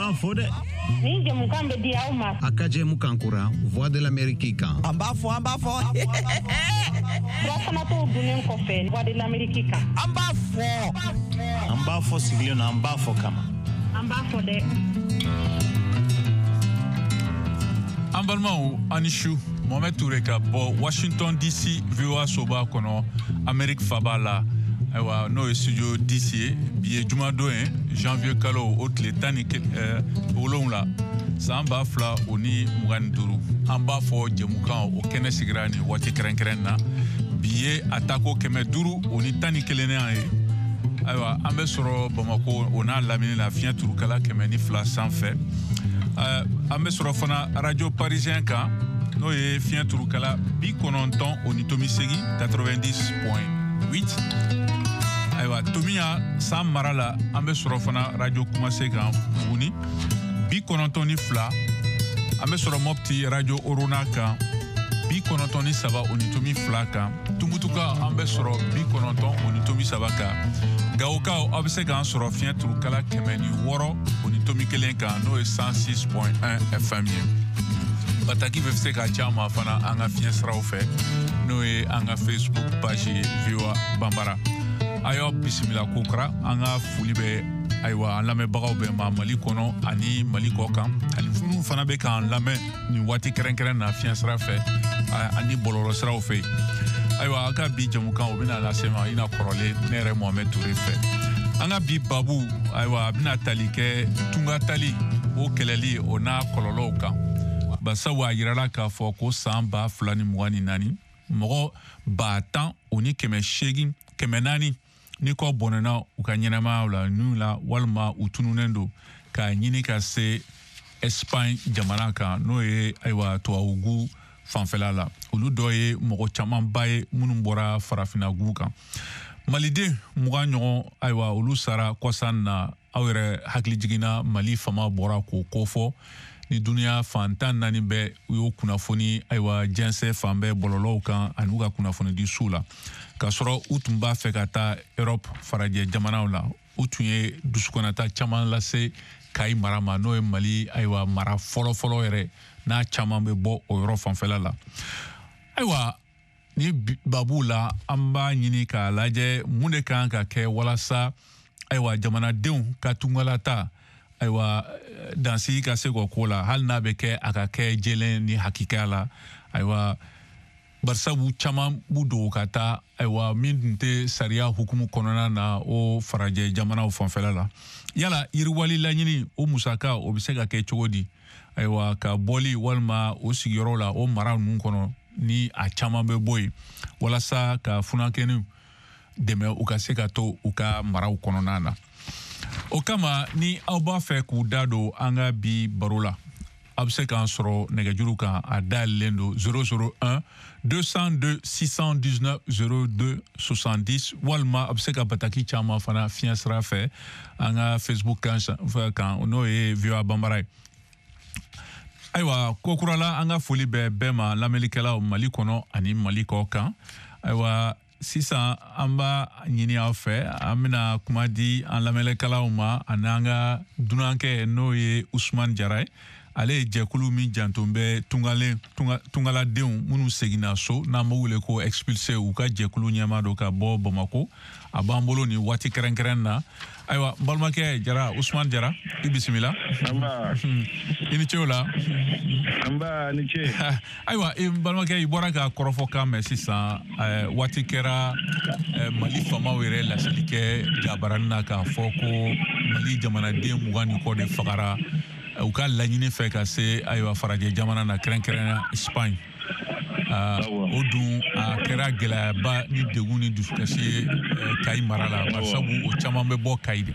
B'an fo dɛ. Nin jɛmukan bɛ di aw ma. A ka jɛmukan kura Voix de l'Amérique kan. An b'a fɔ, an b'a fɔ. Furafanatɔw dunnen kɔfɛ Voix de l'Amérique kan. An b'a fɔ. An b'a fɔ sigilen na, an b'a fɔ kama. An b'a fɔ dɛ. An balimaw, aw ni su. Mohamed Toure ka bɔ Washington DC, VOA soba kɔnɔ, Amérique faba la. Ayiwa, n'o ye studio DC ye. Bi ye jumadon ye, janvier kalo o tile 17, san 2025. An b'a fɔ jɛmukan o kɛnɛ sigira nin waati kɛrɛnkɛrɛn na. Bi ye a tako 511nan ye. Ayiwa, an bɛ sɔrɔ Bamako o n'a lamini la, fiɲɛ turukala 102 sanfɛ. An bɛ sɔrɔ fana Radio Parisien kan, n'o ye fiɲɛ turukala 90.8, 90.8. Ayiwa, Tomiya san mara la, an bɛ sɔrɔ fana Radio Kumase kan Buguni, 92. An bɛ sɔrɔ Mopti Radio Orona kan, 93.2 kan. Tumutuka, an bɛ sɔrɔ 90.3 kan. Gawokaw, aw bɛ se k'an sɔrɔ fiɲɛ turukala 106.1 kan, n'o ye 106.1 FM ye. Bataki bɛ se ka ci an ma fana an ka fiɲɛ siraw fɛ, n'o ye an ka Facebook page ye, VOA Banbara. A y'aw bisimila kokura. An ka foli bɛ, ayiwa, an lamɛnbagaw bɛɛ ma Mali kɔnɔ ani Mali kɔ kan, ani minnu fana bɛ k'an lamɛn nin waati kɛrɛnkɛrɛn na fiɲɛ sira fɛ ani bɔlɔlɔ siraw fɛ. Ayiwa, an ka bi jɛmukan o bɛna lase ma i na kɔrɔlen ne yɛrɛ Mohamed Toure fɛ. An ka bi babu, ayiwa, a bɛna tali kɛ tunga tali o kɛlɛli o n'a kɔlɔlɔw kan, basabu a yirala k'a fɔ ko san 2024, mɔgɔ 10 000 o ni 800, 400 ni kɔ bɔnɛna u ka ɲɛnɛmayaw la n'u la, walima u tununnen don k'a ɲini ka se Espagne jamana kan, n'o ye, ayiwa, tubabugu fanfɛla la. Olu dɔ ye mɔgɔ camanba ye minnu bɔra farafinagu kan. Maliden 20 ɲɔgɔn, ayiwa, olu sara kɔsan na. Aw yɛrɛ hakili jiginna, Mali fama bɔra k'o kofɔ ni duniya fan 14 bɛɛ u y'o kunnafoni, ayiwa, jɛnsɛ fan bɛɛ bɔlɔlɔw kan ani u ka kunnafoni di suw la, k'a sɔrɔ u tun b'a fɛ ka taa Europe farajɛ jamanaw la. U tun ye dusukunnata caman lase Kayi mara ma, n'o ye Mali, ayiwa, mara fɔlɔfɔlɔ yɛrɛ n'a caman bɛ bɔ o yɔrɔ fanfɛla la. Ayiwa, ni babu la, an b'a ɲini k'a lajɛ mun de kan ka kɛ walasa, ayiwa, jamanadenw ka tungalata, ayiwa, dansigi ka se k'o ko la, hali n'a bɛ kɛ a ka kɛ jɛlen ni hakikaya la. Ayiwa, barisabu caman b'u dogo ka taa, ayiwa, min tun tɛ sariya hukumu kɔnɔna na o farajɛ jamanaw fanfɛla la. Yala yiriwali laɲini o musaka o bɛ se ka kɛ cogo di, ayiwa, ka bɔli walima o sigiyɔrɔ la o mara ninnu kɔnɔ ni a caman bɛ bɔ yen, walasa ka funankɛninw dɛmɛ u ka se ka to u ka maraw kɔnɔna na? O kama, ni aw b'a fɛ k'u da don an ka bi baro la, a bɛ se k'an sɔrɔ nɛgɛjuru kan. A dayɛlɛlen don, 001 202 619 02 70, walima a bɛ se ka bataki caman fana fiɲɛ sira fɛ an ka Facebook kan, n'o ye VOA Banbara ye. Ayiwa, ko kura la, an ka foli bɛ bɛɛ ma, lamɛnnikɛlaw Mali kɔnɔ ani Mali kɔ kan. Ayiwa, sisan an b'a ɲini aw fɛ, an bɛna kuma di an lamɛnnikɛlaw ma ani an ka dunankɛ, n'o ye Usumani Jara ye. Ale ye jɛkulu min janto bɛ tungalen tungaladenw minnu seginna so, n'an b'o wele ko expulsé, u ka jɛkulu ɲɛmaa don ka bɔ Bamako. A b'an bolo nin waati kɛrɛnkɛrɛn na. Ayiwa, n balimakɛ Jara, Usumani Jara, i bisimila. I ni ce o la. Nba, ni ce. Ayiwa, i balimakɛ, i bɔra ka kɔrɔfɔkan mɛn sisan. Waati kɛra, Mali faamaw yɛrɛ laseli kɛ jabarani na k'a fɔ ko Mali jamanaden 20 ni kɔ de fagara u ka laɲini fɛ ka se, ayiwa, farajɛ jamana na, kɛrɛnkɛrɛnnenya Espagne. O dun a kɛra gɛlɛyaba ni degun ni dusukasi ye Kayi mara la, barisabu o caman bɛ bɔ Kayi de.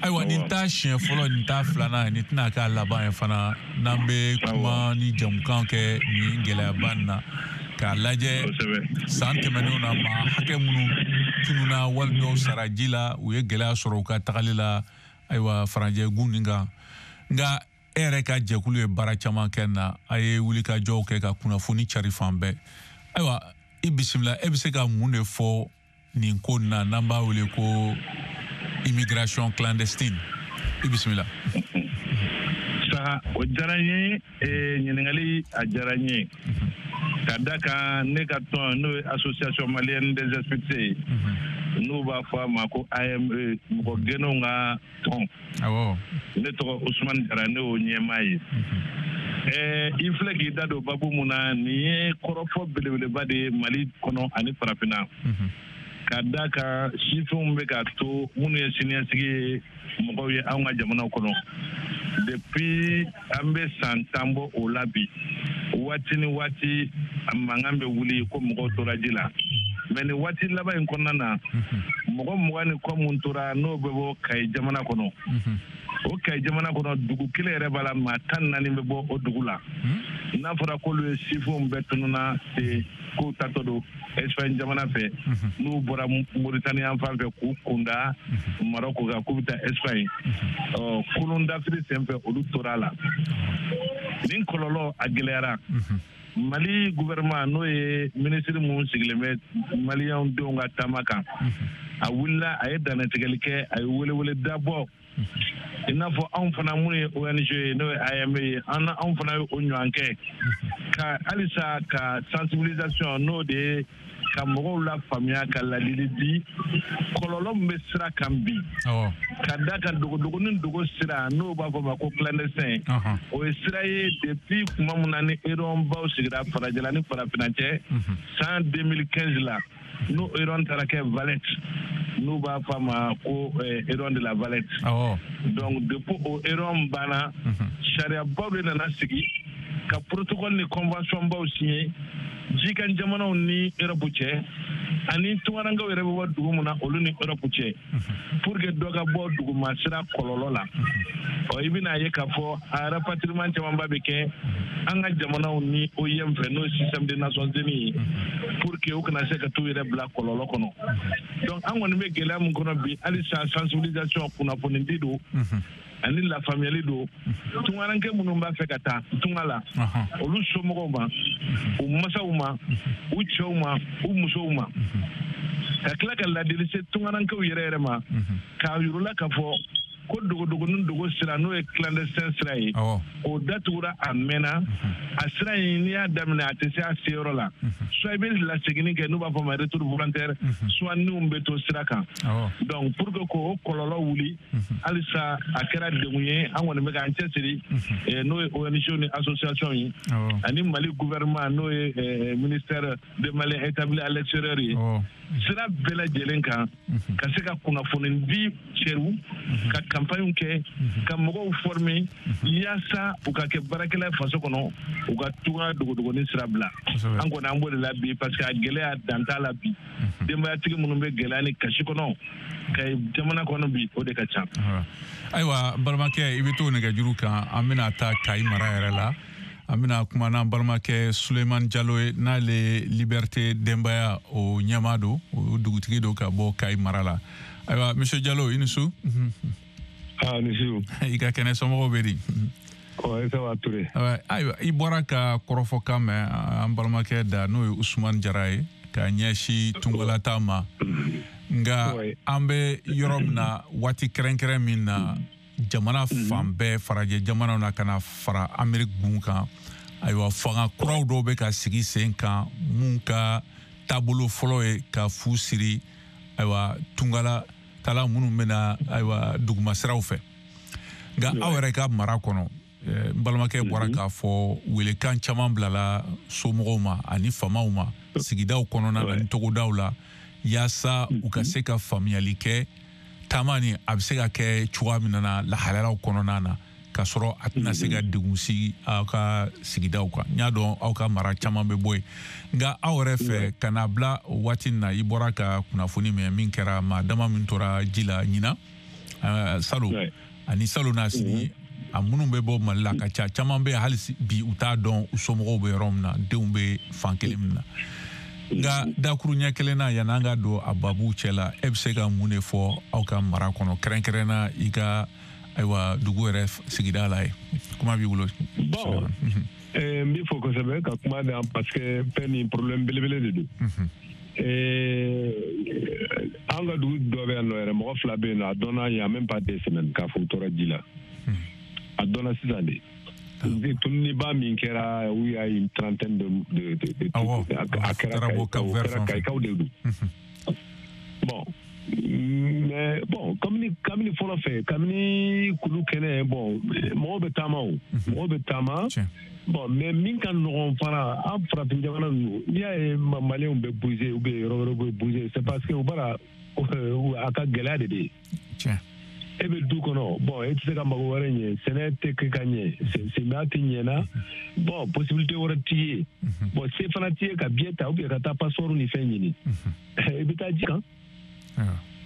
Ayiwa, nin t'a siɲɛ fɔlɔ, nin t'a filanan ye, nin tɛna k'a laban ye fana n'an bɛ kuma ni jamukan kɛ nin gɛlɛyaba nin na, k'a lajɛ san tɛmɛnenw na, maa hakɛ minnu tununa wali dɔw sara ji la, u ye gɛlɛya sɔrɔ u ka tagali la, ayiwa, farajɛ gun nin kan. Nka e yɛrɛ ka jɛkulu ye baara caman kɛ na, a ye wulikajɔw kɛ ka kunnafoni cari fan bɛɛ. Ayiwa, i bisimila. E bɛ se ka mun de fɔ nin ko nin na n'an b'a wele ko immigration clandestine? I bisimila. O diyara n ye, ɲininkali a diyara n ye. Ka da kan ne ka tɔn, n'o ye Association malienne des expulsés ye, n'u b'a fɔ a ma ko AME, mɔgɔ gɛnnenw ka tɔn. Ne tɔgɔ Ousmane Jara, ne y'o ɲɛmaa ye. I filɛ k'i da don babu mun na, nin ye kɔrɔfɔ belebeleba de ye Mali kɔnɔ ani Farafinna. Ka da kan sifinw bɛ ka to minnu ye siniɲɛsigi ye mɔgɔw ye anw ka jamanaw kɔnɔ. Depuis an bɛ san 10 bɔ o la bi, waati ni waati a mankan bɛ wuli ko mɔgɔw tora ji la. Mais nin waati laban in kɔnɔna na, mɔgɔ 20 ni kɔ mun tora, n'o bɛ bɔ Kayi jamana kɔnɔ. O Kayi jamana kɔnɔ, dugu kelen yɛrɛ b'a la, maa 14 bɛ bɔ o dugu la. N'a fɔra k'olu ye sifinw bɛɛ tununa ten, k'u tatɔ don Espagne jamana fɛ, n'u bɔra Mauritanie yan fan fɛ k'u kunda Maroc kan k'u bɛ taa Espagne. Ɔ kolon dafiri senfɛ, olu tora a la. Nin kɔlɔlɔ a gɛlɛyara. Mali gouvernement, n'o ye minisiri mun sigilen bɛ maliyɛnw denw ka taama kan, a wulila, a ye dannatigɛli kɛ, a ye welewele dabɔ. I n'a fɔ anw fana minnu ye ONG ye, n'o ye AME ye, an anw fana ye o ɲɔgɔn kɛ ka halisa ka sensibilisation, n'o de ye ka mɔgɔw la faamuya, ka ladili di kɔlɔlɔ min bɛ sira kan bi. Ka da kan dogodogo ni dogo sira, n'o b'a fɔ ma ko clandestin, o ye sira ye depuis tuma min na ni baw sigira farajɛla ni farafinna cɛ san 2015 la, n'o réunion taara kɛ Valette, n'u b'a fɔ a ma ko réunion de la Valette. Donc depuis o réunion banna, sariyabaw de nana sigi ka protocole ni convention baw signé jikan jamanaw ni Europe cɛ, ani tungarankew yɛrɛ bɛ bɔ dugu min na, olu ni Europe cɛ, pour que dɔ ka bɔ duguma sira kɔlɔlɔ la. Ɔ i bɛna ye k'a fɔ a rapatriement camanba bɛ kɛ an ka jamanaw ni OIM fɛ, n'o ye système des Nations Unies ye, pour que u kana se ka t'u yɛrɛ bila kɔlɔlɔ kɔnɔ. Donc an kɔni bɛ gɛlɛya min kɔnɔ bi, halisa sensibilisation, kunnafoni di don ani lafaamuyali don tungaranke minnu b'a fɛ ka taa tunga la, olu somɔgɔw ma, u masaw ma, u cɛw ma, u musow ma, ka tila ka ladili se tungarankew yɛrɛ yɛrɛ ma, k'a yir'u la k'a fɔ ko dogodogo ni dogo sira, n'o ye clandestin sira ye, o datugura a mɛnna. A sira in, n'i y'a daminɛ, a tɛ se a seyɔrɔ la. Soit i bɛ laseginni kɛ, n'u b'a fɔ ma retour volontaire, soit niw bɛ to sira kan. Donc pour que k'o kɔlɔlɔ wuli, halisa a kɛra degun ye. An kɔni bɛ k'an cɛsiri, n'o ye ONG ni association ye, ani Mali gouvernement, n'o ye ministère des Maliens établis à l'extérieur ye, sira bɛɛ lajɛlen kan, ka se ka kunnafoni di cɛw, ka campagne kɛ, ka mɔgɔw former yaasa u ka kɛ baarakɛla ye faso kɔnɔ, u ka tunga dogodogonin sira bila. An kɔni an b'o de la bi, parce que a gɛlɛya dan t'a la bi. Denbayatigi minnu bɛ gɛlɛya ni kasi kɔnɔ ka jamana kɔnɔ bi, o de ka ca. Ayiwa, balimakɛ, i bɛ to nɛgɛjuru kan. An bɛna taa Kayi mara yɛrɛ la. An bɛna kuma n'an balimakɛ Suleiman Jalo ye, n'ale Liberté Denbaya o ɲɛmaa don, o dugutigi don ka bɔ Kayi mara la. Ayiwa, monsieur Jalo, i ni su. Ah, ni su. I ka kɛnɛ, somɔgɔw bɛ di? Ouais, ça va, Touré. Ayiwa, i bɔra ka kɔrɔfɔkan mɛn an balimakɛ da, n'o ye Usumani Jara ye, ka ɲɛsin tungalata ma. Nka an bɛ yɔrɔ min na, waati kɛrɛnkɛrɛn min na, jamana fan bɛɛ, farajɛ jamanaw na ka na fara Ameriki gun kan, ayiwa, fanga kuraw dɔw bɛ ka sigi sen kan mun ka taabolo fɔlɔ ye ka fu siri, ayiwa, tungala tala minnu bɛna, ayiwa, dugumasiraw fɛ. Nka aw yɛrɛ ka mara kɔnɔ, n balimakɛ bɔra k'a fɔ, welekan caman bilala somɔgɔw ma ani famaw ma sigidaw kɔnɔna na ni togodaw la, yaasa u ka se ka faamuyali kɛ taama ni a bɛ se ka kɛ cogoya min na lahalayaw kɔnɔna na, k'a sɔrɔ a tɛna se ka degun sigi aw ka sigidaw kan. N y'a dɔn aw ka mara caman bɛ bɔ yen, nka aw yɛrɛ fɛ, ka na bila o waati in na, i bɔra ka kunnafoni mɛn min kɛra, maa dama min tora ji la ɲinan, salo ani salo n'a sini, a minnu bɛ bɔ Mali la ka ca, caman bɛ hali bi u t'a dɔn u somɔgɔw bɛ yɔrɔ min na, denw bɛ fan kelen min na. Nka dakuru ɲɛ kelen na, yan'an ka don a babu cɛ la, e bɛ se ka mun de fɔ aw ka mara kɔnɔ, kɛrɛnkɛrɛnna i ka, ayiwa, dugu yɛrɛ sigida la ye? Kuma b'i bolo. Bon, n b'i fo kosɛbɛ ka kuma di yan, parce que fɛn nin problème belebele de don. An ka dugu dɔ bɛ yan nɔ yɛrɛ, mɔgɔ fila bɛ yen nɔ, a dɔnna il y a même pas 2 semaines k'a fɔ u tora ji la. A dɔnna sisan de. Tununiba min kɛra, où il y a une trentaine de a kɛra Kayikaw de don. Bon, mais bon, kabini fɔlɔ fɛ, kabini kulu kɛnɛ, bon, mɔgɔw bɛ taama o, mɔgɔw bɛ taama. Bon, mais min ka nɔgɔn fana, an farafin jamana ninnu, n'i y'a ye Maliyɛnw bɛ bouger ou bien yɔrɔ wɛrɛw bɛ bouger, c'est parce que u b'a a ka gɛlɛya de bɛ yen. E bɛ du kɔnɔ, bon, e tɛ se ka mago wɛrɛ ɲɛ, sɛnɛ tɛ kɛ ka ɲɛ, samiya tɛ ɲɛna, bon, possibilité wɛrɛ t'i ye. Bon, se fana t'i ye ka billet ta ou bien ka taa passeport ni fɛn ɲini. I bɛ taa ji kan.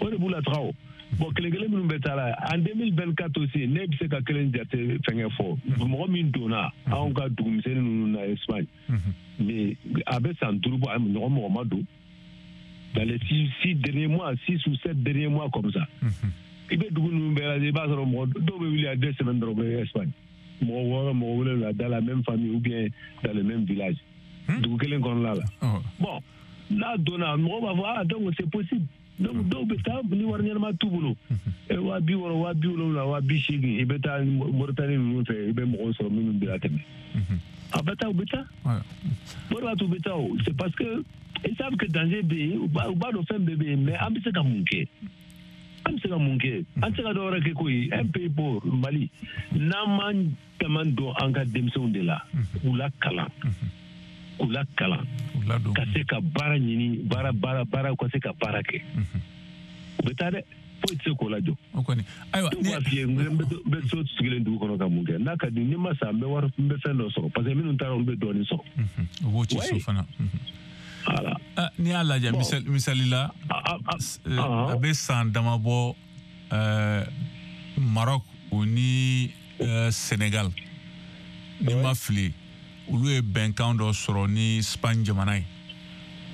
O de b'u la taga o. Bon, kelen kelen minnu bɛ taa la en 2024 aussi, ne bɛ se ka kelen jate fɛnkɛ fɔ. Mɔgɔ min donna anw ka dugumisɛnnin ninnu na Espagne, mais a bɛ san 5 bɔ, a ɲɔgɔn mɔgɔ ma don. Dans les 6 derniers mois, 6 ou 7 derniers mois comme ça. I bɛ dugu ninnu bɛɛ lajɛ, i b'a sɔrɔ mɔgɔ dɔw bɛ wuli a 2 semaines dɔrɔn bɛ Espagne. Mɔgɔ 6, mɔgɔ 7 dans la même famille ou bien dans le même village. Dugu kelen kɔnɔna la. Bon, n'a donna, mɔgɔ b'a fɔ ah donc c'est possible. Donc dɔw bɛ taa ni wari ɲɛnama t'u bolo. 60 000, 70 000, 80 000, i bɛ taa Mauritanie ninnu fɛ, i bɛ mɔgɔw sɔrɔ minnu bɛ tɛmɛ. A bɛ taa, u bɛ taa. O de b'a to u bɛ taa o. C'est parce que ils savent que danger bɛ yen, u b'a dɔn fɛn bɛɛ bɛ yen, mais an bɛ se ka mun kɛ? An bɛ se ka mun kɛ? An tɛ se ka dɔ wɛrɛ kɛ koyi. Un pays pauvre, Mali, n'an m'an caman dɔn an ka denmisɛnw de la, k'u lakalan, k'u lakalan, ka se ka baara ɲini, baara baara baara, ka se ka baara kɛ. U bɛ taa dɛ, foyi tɛ se k'o lajɔ. O kɔni, ayiwa. Ne b'a f'i ye, n bɛ so sigilen dugu kɔnɔ ka mun kɛ? N'a ka di, ni ma sa, n bɛ wari, n bɛ fɛn dɔ sɔrɔ, parce que minnu taara, olu bɛ dɔɔnin sɔrɔ. U b'o ci so fana. Voilà. N'i y'a lajɛ, misali la, a bɛ san dama bɔ, Maroc o ni Sénégal, ni ma fili, olu ye bɛnkan dɔ sɔrɔ ni Espagne jamana ye,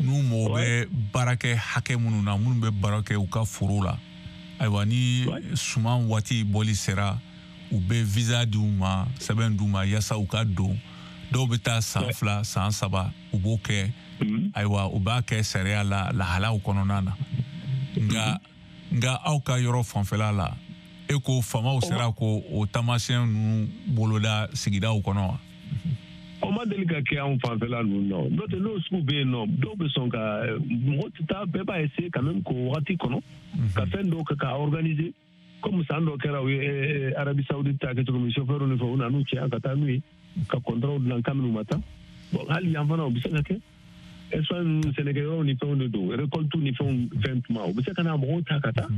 n'u mago bɛ baarakɛ hakɛ minnu na, minnu bɛ baara kɛ u ka foro la. Ayiwa, ni suman waati bɔli sera, u bɛ visa di u ma, sɛbɛn d'u ma yaasa u ka don. Dɔw bɛ taa san 2, san 3, u b'o kɛ. Ayiwa, u b'a kɛ sariya la lahalaw kɔnɔna na. Nka aw ka yɔrɔ fanfɛla la, e ko faamaw sera ko o taamasiyɛn ninnu boloda sigidaw kɔnɔ wa? O ma deli ka kɛ anw fanfɛla ninnu na. N'o tɛ, n'o sugu bɛ yen nɔ, dɔw bɛ sɔn ka mɔgɔ tɛ taa, bɛɛ b'a essayer quand même k'o wagati kɔnɔ ka fɛn dɔw kɛ k'a organiser, comme san dɔ kɛra, u ye Arabie Saoudite ta kɛ cogo min, chauffeur ni fɛn, u nan'u cɛ ka taa n'u ye ka contrat dilan kabini u ma taa. Bon, hali yan fana, o bɛ se ka kɛ. Espagne ninnu, sɛnɛkɛyɔrɔw ni fɛnw de don, récolte ni fɛnw fɛn tuma, u bɛ se ka na mɔgɔw ta ka taa,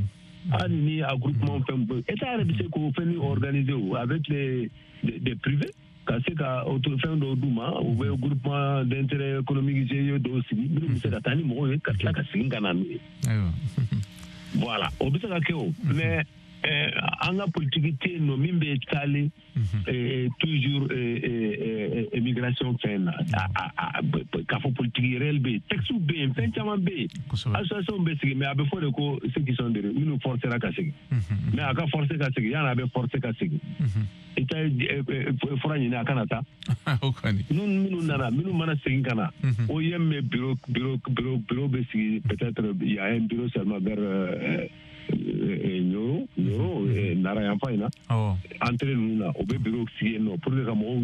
hali ni a groupement fɛn, État yɛrɛ bɛ se k'o fɛn organiser o avec les des privés, ka se ka fɛn dɔw d'u ma, u bɛ groupement d'intérêt économique GIE dɔw sigi, minnu bɛ se ka taa ni mɔgɔw ye ka tila ka segin ka na n'u ye. Voilà, o bɛ se ka kɛ o. Mais an ka politique tɛ yen nɔ min bɛ taalen toujours immigration fɛn na, k'a fɔ politique réelle bɛ yen. Texte bɛ yen, fɛn caman bɛ yen, association bɛ sigi, mais a bɛ fɔ de ko ceux qui sont de minnu forcera ka segin. Mais a ka forcer ka segin, yanni a bɛ forcer ka segin, i ta ye fura ɲini a kana taa. Minnu nana, minnu mana segin ka na, OIM bɛ bureau bɛ sigi, peut-être il y a un bureau seulement vers Nioro, Nara yanfan in na, entrée ninnu na, o bɛ bureau sigi yen nɔ pour que ka mɔgɔw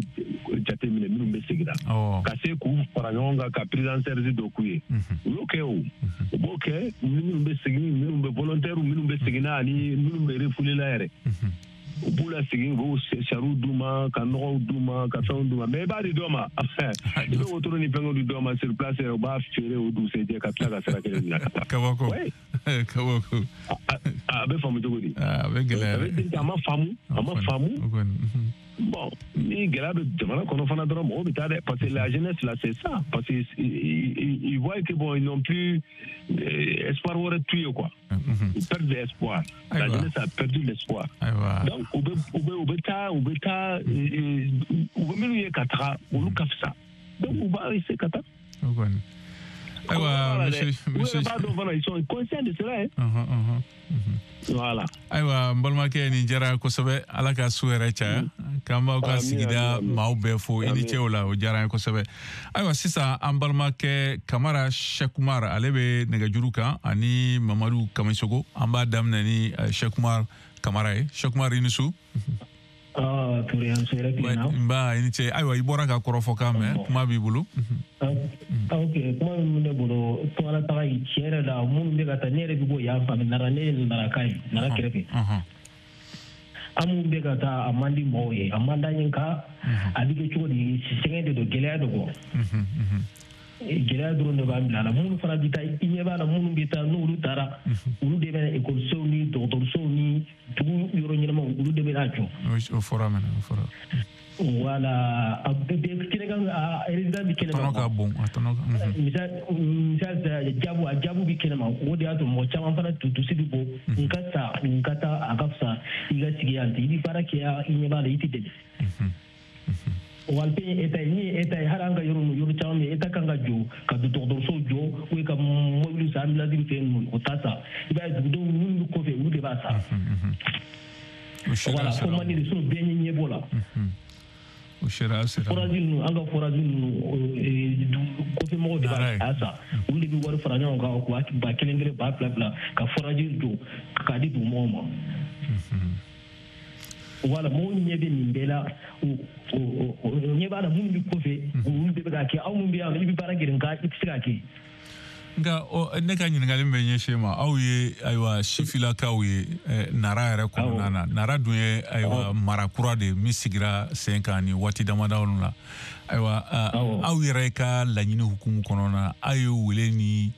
jateminɛ minnu bɛ segin na, ka se k'u fara ɲɔgɔn kan ka prise en charge dɔ k'u ye. U y'o kɛ o, u b'o kɛ, minnu bɛ segin, minnu bɛ volontaire, minnu bɛ segin na ani minnu bɛ refoulé la yɛrɛ, u b'u lasegin, u b'u sariw d'u ma, ka nɔgɔw d'u ma, ka fɛnw d'u ma. Mais i b'a di dɔ ma, i bɛ wotoro ni fɛngɛw di dɔ ma sur place yɛrɛ, u b'a feere o dugusɛjɛ ka tila ka sira kelen minɛ ka taa. Kabako, kabako. A bɛ faamu cogo di? A bɛ gɛlɛya. A ma faamu, a ma faamu. Bon, ni gɛlɛya bɛ jamana kɔnɔ fana dɔrɔn, mɔgɔw bɛ taa dɛ, parce que la jeunesse là, c'est ça, parce que ils voient que bon, ils n'ont plus espoir wɛrɛ t'u ye quoi. Ils perdent l'espoir, la jeunesse a perdu l'espoir. Donc u bɛ taa, u bɛ taa, u bɛ minnu ye ka taga, olu ka fisa, donc u b'a essayer ka taa. Ayiwa, monsieur, monsieur, b'a dɔn fana, ils sont conscients de cela, hein. Voilà. Ayiwa, n balimakɛ, nin diyara kosɛbɛ. Ala ka su yɛrɛ caya. K'an b'aw ka sigida maaw bɛɛ fo. I ni ce o la, o diyara an ye kosɛbɛ. Ayiwa, sisan an balimakɛ Kamara Sɛkumar, ale bɛ nɛgɛjuru kan, ani Mamadu Kamisogo. An b'a daminɛ ni Sɛkumar Kamara ye. Sɛkumar, i ni su. Touré, an sera tilenna. Nba, i ni ce. Ayiwa, i bɔra ka kɔrɔfɔkan mɛn, kuma b'i bolo. Ok, kuma min bɛ ne bolo, tungala taga in tiɲɛ yɛrɛ la, minnu bɛ ka taa, ne yɛrɛ bɛ bɔ yan fan, Nara, ne ye Naraka ye, Nara kɛrɛfɛ. An minnu bɛ ka taa, a man di mɔgɔw ye, a man d'an ye, nka a bɛ kɛ cogo di, sɛgɛn de don, gɛlɛya de kɔ. Gɛlɛya dɔrɔn de b'an bila a la. Minnu fana bɛ taa, i ɲɛ b'a la, minnu bɛ taa, n'olu taara, olu de bɛ ekɔlisow ni dɔgɔtɔrɔsow ni dugu yɔrɔ ɲɛnamaw, olu de bɛ n'a jɔ. O fɔra mɛnɛ, o fɔra. Voilà, a bɛ kɛnɛ kan, a résident bɛ kɛnɛ ma. Tɔnɔ ka bon, a tɔnɔ ka. Misali jabu, a jabu bɛ kɛnɛ ma, o de y'a to mɔgɔ caman fana dusu bɛ bɔ. N ka sa, n ka taa, a ka fisa i ka sigi yan ten, i bɛ baara kɛ, i ɲɛ b'a la, i tɛ dɛmɛ. Walpe ye État ye, ni ye État ye, hali an ka yɔrɔ ninnu, yɔrɔ caman bɛ yen, État kan ka jɔ, ka dɔgɔtɔrɔsow jɔ, ou ka mobili san, ambulance fɛn ninnu, o t'a san. I b'a ye dugudenw minnu bɛ kɔfɛ, olu de b'a san. Voilà, ko man di de, sinon bɛɛ ɲɛ b'o la. O sariya sera. Forage ninnu, an ka forage ninnu, kɔfɛ mɔgɔw de b'a san. Olu de bɛ wari fara ɲɔgɔn kan, ba kelen kelen, ba fila fila, ka forage jɔ k'a di dugumɔgɔw ma. Voilà, mɔgɔw ɲɛ bɛ nin bɛɛ la, ɲɛ b'a la, minnu bɛ kɔfɛ, olu de bɛ k'a kɛ. Aw minnu bɛ yan, i bɛ baara kɛ, nka i tɛ se k'a kɛ. Nka ne ka ɲininkali min bɛ ɲɛsin ma, aw ye ayiwa sifilakaw ye Nara yɛrɛ kɔnɔna na. Nara dun ye ayiwa mara kura de min sigira sen kan ni waati damadɔ la. Ayiwa, aw yɛrɛ ka laɲini hukumu kɔnɔna na, aw ye wele ni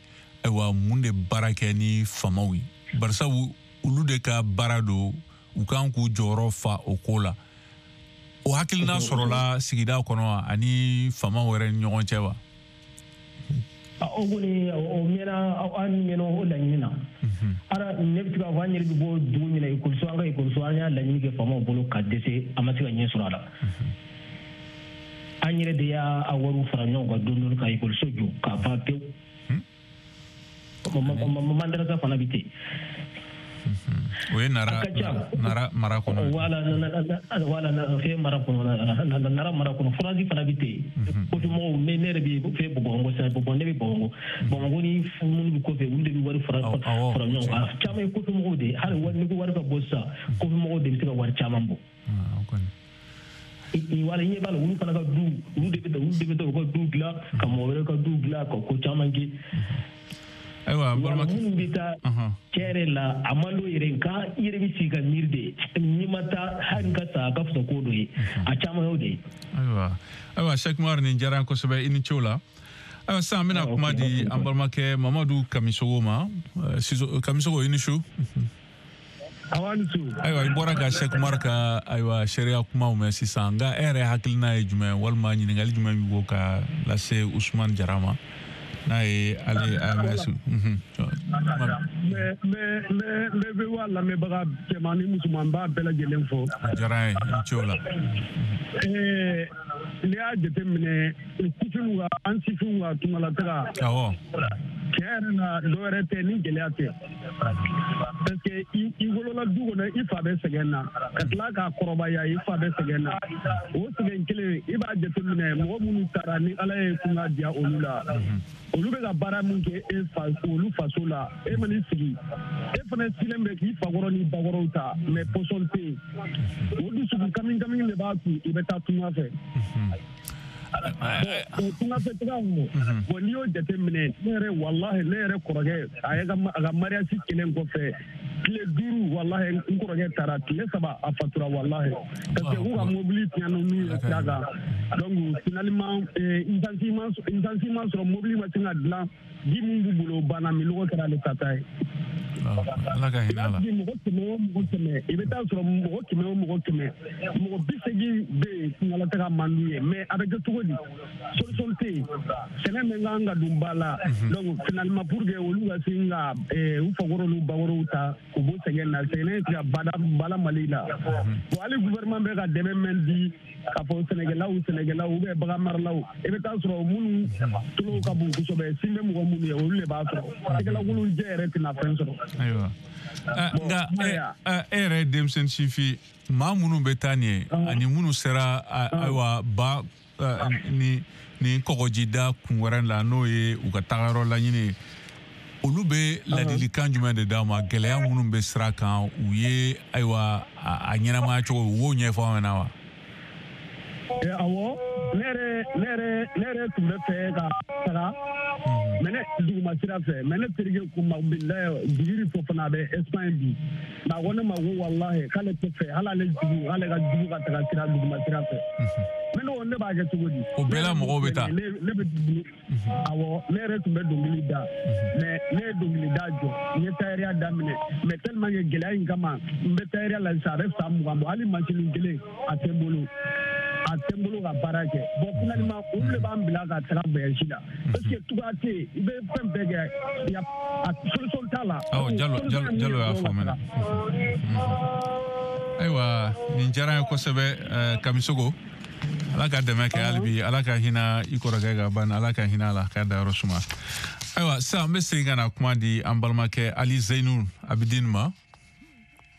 ayiwa mun de baara kɛ ni faamaw ye? Barisabu olu de ka baara don, u kan k'u jɔyɔrɔ fa o ko la. O hakilina sɔrɔla sigida kɔnɔ ani faamaw yɛrɛ ni ɲɔgɔn cɛ wa? O kɔni, o mɛnna, an mɛnna o laɲini na. Ara ne bɛ se k'a fɔ, an yɛrɛ bɛ bɔ dugu min na, ekɔliso, an ka ekɔliso, an y'a laɲini kɛ faamaw bolo ka dɛsɛ, an ma se ka ɲɛ sɔrɔ a la. An yɛrɛ de y'a wariw fara ɲɔgɔn kan dɔɔni dɔɔni ka ekɔliso jɔ k'a ban pewu. Madarasa fana bɛ ten. O ye Nara mara kɔnɔ. Voilà, voilà, fɛn mara kɔnɔ, Nara mara kɔnɔ, forage fana bɛ ten. Kɔfɛmɔgɔw, ne yɛrɛ bɛ fɛn Bamakɔ sisan, Bamakɔ, ne bɛ Bamakɔ. Bamakɔ ni minnu bɛ kɔfɛ, olu de bɛ wari fara ɲɔgɔn kan. Caman ye kɔfɛmɔgɔw de ye. Hali ni ko wari ka bɔ sisan, kɔfɛmɔgɔw de bɛ se ka wari caman bɔ. Wala, i ɲɛ b'a la, olu fana ka du, olu de bɛ taa u ka du dilan, ka mɔgɔ wɛrɛ ka du dilan, ka ko caman kɛ. Ayiwa, balimakɛ, minnu bɛ taa tiɲɛ yɛrɛ la, a man d'o yɛrɛ, nka i yɛrɛ bɛ sigi ka miiri de, n'i ma taa hali n ka sa, a ka fisa ko dɔ ye, a caman y'o de ye. Ayiwa, Cheikh Umar, nin diyara n kosɛbɛ, i ni ce o la. Ayiwa, sisan an bɛna kuma di an balimakɛ Mamadu Kamisogo ma. Kamisogo, i ni su. Ayiwa, i bɔra ka Cheikh Umar ka ayiwa seereya kumaw mɛn sisan, nka e yɛrɛ hakilina ye jumɛn, walima ɲininkali jumɛn b'i bolo ka lase Usumani Jara ma, n'a ye ale AMS? N bɛ VOA lamɛnbaga cɛman ni musoman b'a bɛɛ lajɛlen fo. A diyara n ye, i ni ce o la. N'i y'a jateminɛ, sifinw ka, an sifinw ka tungalataga. Awɔ. Tiɲɛ yɛrɛ la, dɔwɛrɛ tɛ ni gɛlɛya tɛ. Parce que i wolola du kɔnɔ, i fa bɛ sɛgɛn na, ka tila k'a kɔrɔbaya, i fa bɛ sɛgɛn na. O sɛgɛn kelen, i b'a jateminɛ, mɔgɔ minnu taara ni Ala ye kunna diya olu la, olu bɛ ka baara min kɛ e fa, olu faso la, e man'i sigi, e fana silen bɛ k'i fakɔrɔ ni bakɔrɔw ta, mais pɔsɔn tɛ yen. O dusukun kami kami de b'a to i bɛ taa tunga fɛ. Tunga fɛ taga o, bon, n'i y'o jateminɛ, ne yɛrɛ, walahi, ne yɛrɛ kɔrɔkɛ, a ye a ka mariage kelen kɔfɛ tile 5, walahi, n kɔrɔkɛ taara tile 3, a fatura, walahi, parce que k'u ka mobili tiɲɛna n'u ye sira kan. Donc finalement, essence ma sɔrɔ, mobili ma se ka dilan, ji min b'u bolo banna, minɔgɔ kɛra ale ta ye. Ala ka hinɛ a la. Mɔgɔ 100 o mɔgɔ 100, i bɛ taa sɔrɔ mɔgɔ 100 o mɔgɔ 100, mɔgɔ 80 bɛ yen, tungalataga man d'u ye, mais a bɛ kɛ cogo di? Solution tɛ yen. Sɛnɛ min kan ka don ba la, donc finalement, pour que olu ka se ka u fakɔrɔw n'u bakɔrɔw ta k'u bɔ sɛgɛn na, sɛgɛn tɛ ka bada Mali la. Bon, hali gouvernement bɛ ka dɛmɛ min di k'a fɔ sɛnɛkɛlaw ou bien bagan maralaw, i bɛ taa sɔrɔ minnu tulo ka bon kosɛbɛ, sin bɛ mɔgɔ minnu ye, olu de b'a sɔrɔ. Sɛgɛlakolon jɛ yɛrɛ tɛna fɛn sɔrɔ. Ayiwa, nka e yɛrɛ ye denmisɛnnin sifin, maa minnu bɛ taa nin ye ani minnu sera ayiwa ba ni kɔgɔjida kun wɛrɛ la, n'o ye u ka tagayɔrɔ laɲini ye, Olu bɛ ladilikan jumɛn de d'aw ma gɛlɛya minnu bɛ sira kan u ye ayiwa a ɲɛnamaya cogo u b'o ɲɛfɔ aw ɲɛna wa? Awɔ, ne yɛrɛ tun bɛ fɛ ka taga mais ne duguma sira fɛ, mais ne terikɛ ko ma bilayi Djibiri Fofana bɛ Espagne bi, mais a ko ne ma ko walahi k'ale tɛ fɛ hali ale jugu ale ka jugu ka taga sira duguma sira fɛ. Mais ne ko ne b'a kɛ cogo di? O bɛɛ la mɔgɔw bɛ taa. Ne bɛ awɔ, ne yɛrɛ tun bɛ dɔnkili da, mais ne ye dɔnkili da jɔ, n ye tayɛriya daminɛ, mais tellement que gɛlɛya in kama n bɛ tayɛriya la sisan a bɛ san 20 bɔ, hali masini kelen a tɛ n bolo. A tɛ n bolo ka baara kɛ. Bon finalement olu de b'an bila ka taga voyage la parce que tubabu tɛ yen, i bɛ fɛn bɛɛ kɛ, a solution t'a la. Awɔ, Jalo y'a faamuya. Ayiwa, nin diyara n ye kosɛbɛ Kamisogo. Ala ka dɛmɛ kɛ hali bi, Ala ka hinɛ i kɔrɔkɛ ka ban, Ala ka hinɛ a la k'a dayɔrɔ suma. Ayiwa, sisan n bɛ segin ka na kuma di an balimakɛ Ali Zeyinul Abidin ma.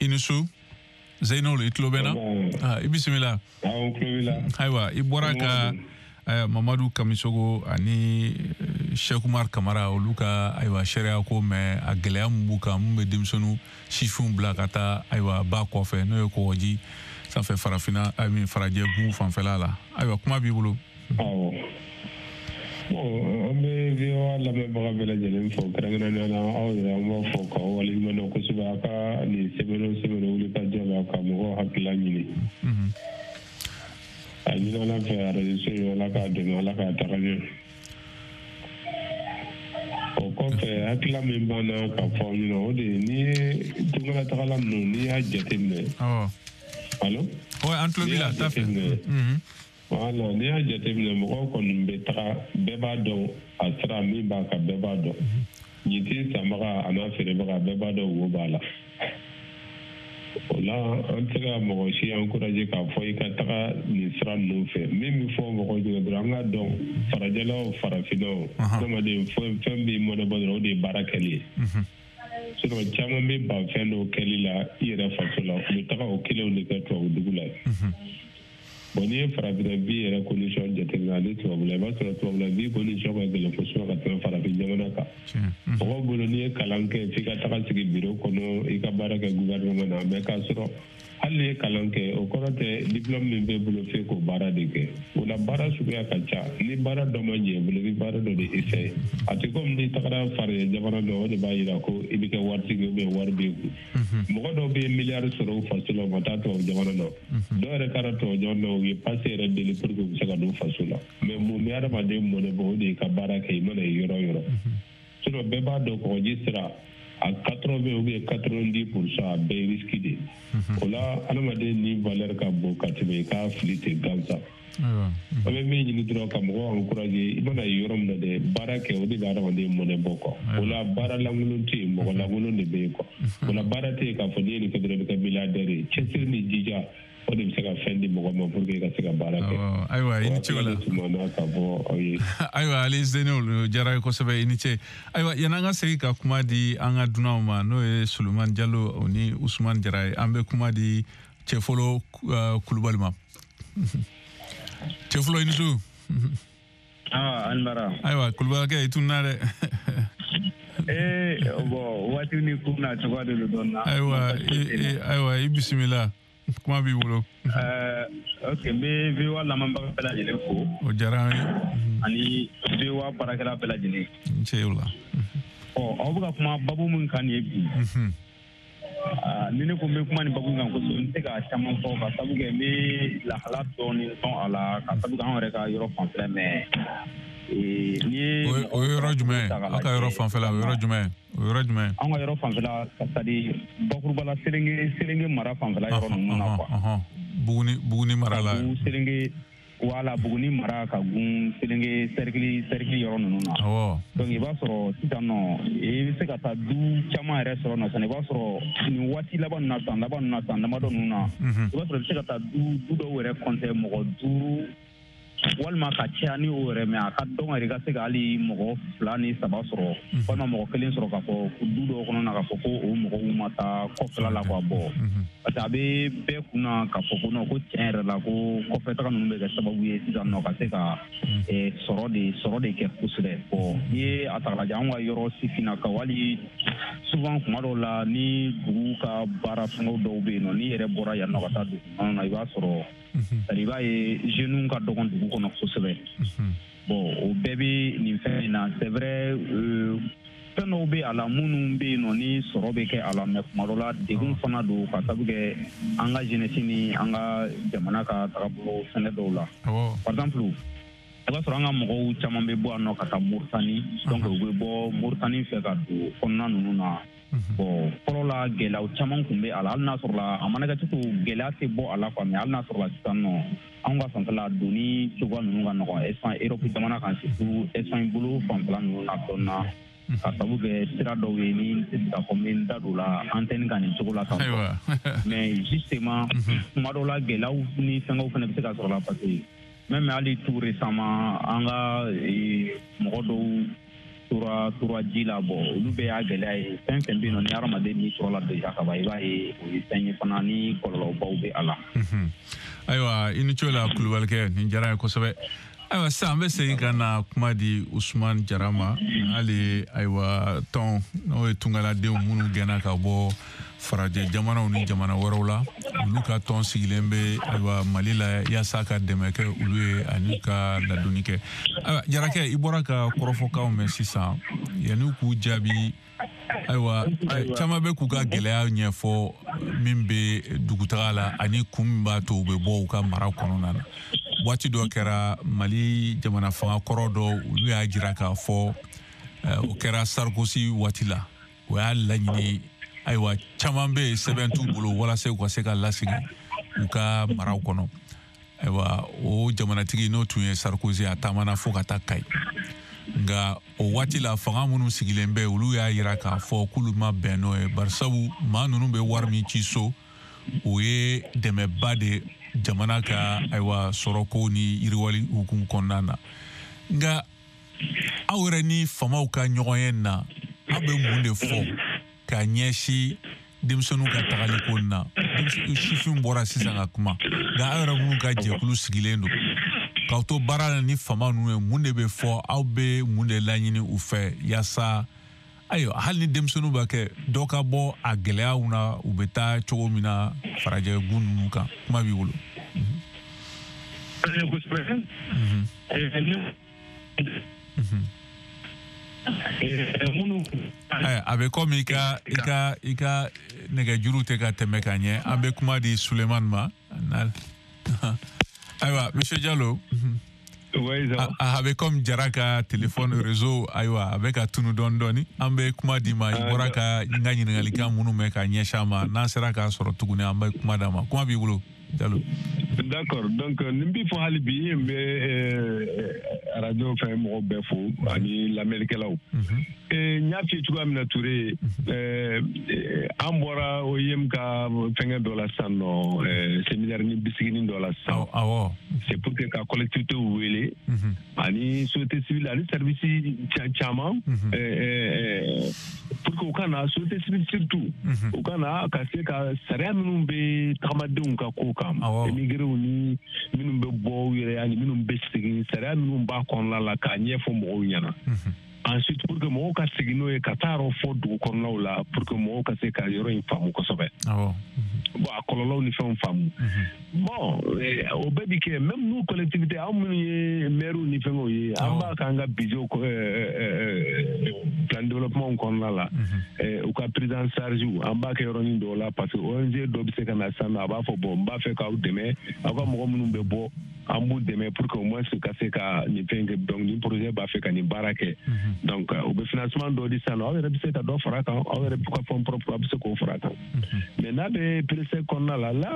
I ni su. Zeyinul, i tulo bɛ n na? I bisimila. Ayiwa, i bɔra ka Mamadu Kamisogo ani Cheikh Umar Kamara olu ka ayiwa sariya ko mɛn, a gɛlɛya mun b'u kan, mun bɛ denmisɛnninw sifinw bila ka taa ayiwa ba kɔfɛ n'o ye kɔgɔji sanfɛ farafinna farajɛ gun fanfɛla la. Ayiwa, kuma b'i bolo. Awɔ. Bon, an bɛ VOA lamɛnbaga bɛɛ lajɛlen fo, kɛrɛnkɛrɛnnenya la aw yɛrɛ an b'a fɔ k'aw waleɲuman dɔn kosɛbɛ a ka nin semaine o semaine wuli ka jɔ la ka mɔgɔw hakilila ɲini. A ɲini Ala fɛ arajo in Ala k'a dɛmɛ, Ala k'a taga ɲɛ. O kɔfɛ hakilila min b'an na ka fɔ aw ɲɛna o de ye n'i ye tunkalatagala ninnu n'i y'a jateminɛ. Allo? Ouais, an tulo b'i la, t'a fɛ. Voilà, n'i y'a jateminɛ mɔgɔw kɔni bɛ taga, bɛɛ b'a dɔn a sira min b'a kan, bɛɛ b'a dɔn. Ɲintin sanbaga a n'a feerebaga bɛɛ b'a dɔn wo b'a la. O la an tɛ se ka mɔgɔ si encourager k'a fɔ i ka taga nin sira ninnu fɛ. Min bɛ fɔ mɔgɔw ɲɛna dɔrɔn an k'a dɔn farajɛla o farafinna o adamaden fɛn b'i mɔnɛ bɔ dɔrɔn o de ye baara kɛli ye. Sinon caman bɛ ban fɛn dɔw kɛli la i yɛrɛ faso la, u bɛ taga o kelenw de kɛ tubabu dugu la. Bon, n'i ye farafinna bi yɛrɛ condition jateminɛ ani tubabula, i b'a sɔrɔ tubabula bi condition ka gɛlɛn kosɛbɛ ka tɛmɛ farafin jamana kan. Mɔgɔw bolo n'i ye kalan kɛ f'i ka taga sigi bureau kɔnɔ i ka baara kɛ gouvernement na, mais k'a sɔrɔ hali n'i ye kalan kɛ o kɔrɔ tɛ diplôme min b'e bolo f'e k'o baara de kɛ. O la baara suguya ka ca, ni baara dɔ ma ɲɛ i bolo i bɛ baara dɔ de essayer. A tɛ komi n'i tagara farajɛ jamana dɔ o de b'a jira ko i bɛ kɛ waritigi ou bien wari b'e kun. Mɔgɔ dɔw bɛ miliyari sɔrɔ u faso la u ma taa tubabu jamana na. Dɔw yɛrɛ taara tubabu jamana na u ye passe yɛrɛ deli pour que u bɛ se ka don faso la. Mais mun bɛ adamaden mɔnɛ bɔ o de ye ka baara kɛ i mana ye yɔrɔ o yɔrɔ. Sinon bɛɛ b'a dɔn kɔgɔji sira à 80 ou bien 90% a bɛɛ ye risque de ye. O la adamaden ni valeur ka bon ka tɛmɛ i k'a fili ten gansan. An bɛ min ɲini dɔrɔn ka mɔgɔw encourager i mana ye yɔrɔ min na dɛ baara kɛ o de bɛ adamaden mɔnɛ bɔ quoi. O la baara lankolon tɛ yen, mɔgɔ lankolon de bɛ yen quoi. O la baara tɛ yen k'a fɔ n'i ye nin kɛ dɔrɔn i bɛ kɛ milliardaire ye. Cɛsiri ni jija o de bɛ se ka fɛn di mɔgɔ ma pour que i ka se ka baara kɛ. Ayiwa, i ni ce o la. K'a fɔ aw ye. Ayiwa, Ali Zeyinul diyara ye kosɛbɛ, i ni ce. Ayiwa, yan'an ka segin ka kuma di an ka dunanw ma n'o ye Sulemani Jalo ni Usumani Jara ye, an bɛ kuma di Cɛfolo Kulubali ma. Cɛfolo, i ni su. An bara. Ayiwa, Kulubalikɛ, i tununna dɛ. Bon, waati ni kun na cogoya de don dɔɔnin na. Ayiwa, ayiwa, i bisimila. Kuma b'i bolo. Ok, n bɛ VOA lamɛnbaga bɛɛ lajɛlen fo. O diyara an ye. Ani VOA baarakɛla bɛɛ lajɛlen. N ce o la. Ɔ, aw bɛ ka kuma babu min kan nin ye bi. Ni ne ko n bɛ kuma nin babu in kan kosɛbɛ, n tɛ se ka caman fɔ ka sabu kɛ n bɛ lahala dɔɔnin dɔn a la ka sabu kɛ anw yɛrɛ ka yɔrɔ fanfɛla mais. O ye yɔrɔ jumɛn ye? Aw ka yɔrɔ fanfɛla o yɔrɔ jumɛn ye? O yɔrɔ jumɛn? An ka yɔrɔ fanfɛla c'est à dire bakuruba la Selenge mara fanfɛla yɔrɔ ninnu na quoi. Buguni mara la. Selenge wala Buguni mara ka gun Selenge cercle yɔrɔ ninnu na. Awɔ. Donc i b'a sɔrɔ sisan nɔ i bɛ se ka taa du caman yɛrɛ sɔrɔ nɔ sisan i b'a sɔrɔ nin waati laban ninnu na san laban ninnu na san damadɔ ninnu na. I b'a sɔrɔ i bɛ se ka taa du dɔw yɛrɛ compter mɔgɔ 5 Walima ka caya ni o yɛrɛ, mais a ka dɔn yɛrɛ ka se ka hali mɔgɔ 2 ni 3 sɔrɔ, walima mɔgɔ 1 sɔrɔ k'a fɔ du dɔw kɔnɔ na k'a fɔ ko o mɔgɔw ma taa kɔfɛla la quoi. Bon, parce que a bɛ bɛɛ kunna k'a fɔ ko non, ko tiɲɛ yɛrɛ la, ko kɔfɛ taga ninnu bɛ kɛ sababu ye sisan nɔ ka se ka sɔrɔ de kɛ kosɛbɛ. Bon, n'i ye a ta k'a lajɛ, anw ka yɔrɔ sifinnakaw, hali souvent kuma dɔw la, ni dugu ka baara fɛngɛw dɔw bɛ yen nɔ, n'i yɛrɛ bɔra yan nɔ ka taa dugu kɔnɔ na, i b'a sɔrɔ, i b'a ye jeunes ka dɔgɔn dugu kɔnɔ kosɛbɛ. Bon, o bɛɛ bɛ nin fɛn in na. C'est vrai, fɛn dɔw bɛ a la minnu bɛ yen nɔ ni sɔrɔ bɛ kɛ a la, mais kuma dɔ la degun fana don, ka sabu kɛ an ka jeunesse ni an ka jamana ka tagabolo fɛngɛ dɔw la. Par exemple, i b'a sɔrɔ an ka mɔgɔw caman bɛ bɔ yan nɔ ka taa Moritani, donc u bɛ bɔ Moritani fɛ ka don kɔnɔna ninnu na. Bon, fɔlɔ la gɛlɛyaw caman tun bɛ a la, hali n'a sɔrɔ la a mana kɛ cogo, gɛlɛya tɛ bɔ a la quoi. Mais hali n'a sɔrɔ la sisan nɔ, anw ka fanfɛla donni cogoya ninnu ka nɔgɔn Espagne, Europe jamana kan, surtout Espagne bolo fanfɛla ninnu na dɔɔnin na, ka sabu kɛ sira dɔw ye ni n tɛ se k'a fɔ n bɛ n da don la antenne kan nin cogo la tan. Mais justement, kuma dɔw la gɛlɛyaw ni fɛngɛw fana bɛ se ka sɔrɔ la, parce que même hali tout récemment, an ka mɔgɔ dɔw tora ji la. Bon, olu bɛɛ y'a gɛlɛya ye. Fɛn fɛn bɛ yen nɔ ni hadamaden ni sɔrɔ la déjà ka ban, i b'a ye o ye fɛn ye fana ni kɔlɔlɔbaw bɛ a la. Ayiwa, i ni ce la, Kulubalikɛ, nin diyara n ye kosɛbɛ. Ayiwa, sisan an bɛ segin ka na kuma di Usumani Jara ma. Hali ayiwa, tɔn n'o ye tungaladenw minnu gɛnna ka bɔ farajɛ jamanaw ni jamana wɛrɛw la, olu ka tɔn sigilen bɛ ayiwa Mali la yaasa ka dɛmɛ kɛ olu ye ani ka ladonni kɛ. Ayiwa, Jarakɛ, i bɔra ka kɔrɔfɔkanw mɛn sisan. Yanni k'u jaabi, ayiwa, caman bɛ k'u ka gɛlɛya ɲɛfɔ min bɛ dugutaga la ani kun min b'a to u bɛ bɔ u ka mara kɔnɔna na. Waati dɔ kɛra, Mali jamana fanga kɔrɔ dɔ, olu y'a jira k'a fɔ, o kɛra Sarkozy waati la, o y'a laɲini, ayiwa, caman bɛ yen sɛbɛn t'u bolo, walasa u ka se ka lasegin u ka maraw kɔnɔ. Ayiwa, o jamanatigi n'o tun ye Sarkozy, a taamana fo ka taa Kayi. Nka o waati la, fanga minnu sigilen bɛ, olu y'a jira k'a fɔ k'olu ma bɛn n'o ye, barisabu maa ninnu bɛ wari min ci so, o ye dɛmɛba de jamana ka ayiwa sɔrɔko ni yiriwali hukumu kɔnɔna na. Nka aw yɛrɛ ni faamaw ka ɲɔgɔn ye na, aw bɛ mun de fɔ ka ɲɛsin denmisɛnninw ka tagaliko na? Sifin bɔra sisan ka kuma, nka aw yɛrɛ minnu ka jɛkulu sigilen don k'aw to baara la ni faama ninnu ye, mun de bɛ fɔ? Aw bɛ mun de laɲini u fɛ yaasa ayiwa, hali ni denmisɛnninw b'a kɛ dɔ ka bɔ a gɛlɛyaw na, u bɛ taa cogo min na farajɛ gun ninnu kan? Kuma b'i bolo. Kosɛbɛ. A bɛ komi i ka nɛgɛjuru tɛ ka tɛmɛ ka ɲɛ. An bɛ kuma di Sulemani ma. Ayiwa, monsieur Diallo. A bɛ komi Jara ka téléphone réseau, ayiwa, a bɛ ka tunu dɔɔni dɔɔni. An bɛ kuma di ma. I bɔra ka n ka ɲininkalikan minnu mɛn ka ɲɛsin a ma, n'an sera k'a sɔrɔ tuguni, an bɛ kuma d'a ma. Kuma b'i bolo, Diallo. D'accord, donc nin b'i fɔ hali bi, n bɛ radio fɛn mɔgɔw bɛɛ fo ani lamɛnnikɛlaw. N y'a f'i ye cogoya min na, Ture, an bɔra OIM ka fɛngɛ dɔ la sisan nɔ, séminaire ni bisiginin dɔ la sisan. C'est pour que ka collectivité wele ani société civile ani service caman, pour que u ka na, société civile surtout, u ka na ka se ka sariya minnu bɛ tagamadenw ka ko kan, émigrés ni minnu bɛ bɔ u yɛrɛ ani minnu bɛ segin, sariya minnu b'a kɔnɔna la, k'a ɲɛfɔ mɔgɔw ɲɛna. Ensuite, pour que mɔgɔw ka segin n'o ye ka taa yɔrɔ fɔ dugu kɔnɔnaw la, pour que mɔgɔw ka se ka yɔrɔ in faamu kosɛbɛ, bon, a kɔlɔlɔw ni fɛnw faamu. Bon, o bɛɛ bi kɛ. Même nous, collectivité, anw minnu ye maires ni fɛngɛw ye, an b'a k'an ka budget, plan de développement kɔnɔna la, u ka prise en charge, an b'a kɛ yɔrɔnin dɔw la, parce que ONG dɔ bɛ se ka na sisan nɔ, a b'a fɔ: bon, n b'a fɛ k'aw dɛmɛ, aw ka mɔgɔ minnu bɛ bɔ, an b'u dɛmɛ pour que au moins ka se ka nin fɛn kɛ. Donc nin projet b'a fɛ ka nin baara kɛ, donc u bɛ financement dɔ di sisan nɔ. Aw yɛrɛ bɛ se ka dɔ fara a kan, aw yɛrɛ ka fonds propre, aw bɛ se k'o fara a kan. Mais n'a bɛ PRESEC kɔnɔna la, là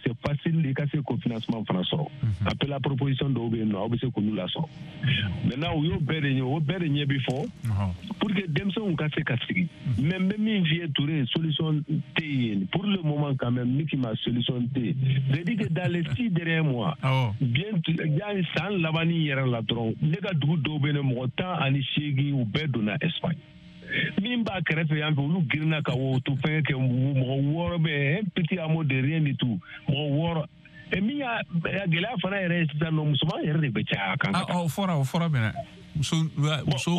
c'est facile i ka se k'o financement fana sɔrɔ. Appel à proposition dɔw bɛ yen nɔ, aw bɛ se k'olu lasɔrɔ. Maintenant, u y'o bɛɛ de ɲɛ, o bɛɛ de ɲɛ bi fɔ pour que denmisɛnw ka se ka sigi. Mais n bɛ min f'i ye, Touré, solution tɛ yen pour le moment quand même. Ni k'i ma solution tɛ yen, c'est à dire que dans les 6 derniers mois Bien yani san labanni yɛrɛ la dɔrɔn, ne ka dugu dɔw bɛ yen, mɔgɔ 18 u bɛɛ donna Espagne. Min b'a kɛrɛfɛ yan fɛ, olu girinna ka o to fɛngɛ kɛ, mɔgɔ 6 bɛ, un petit hameau de rien du tout, mɔgɔ 6. Et min y'a gɛlɛya fana yɛrɛ ye sisan nɔ, musoman yɛrɛ de bɛ caya a kan. O fɔra mɛnɛ. Muso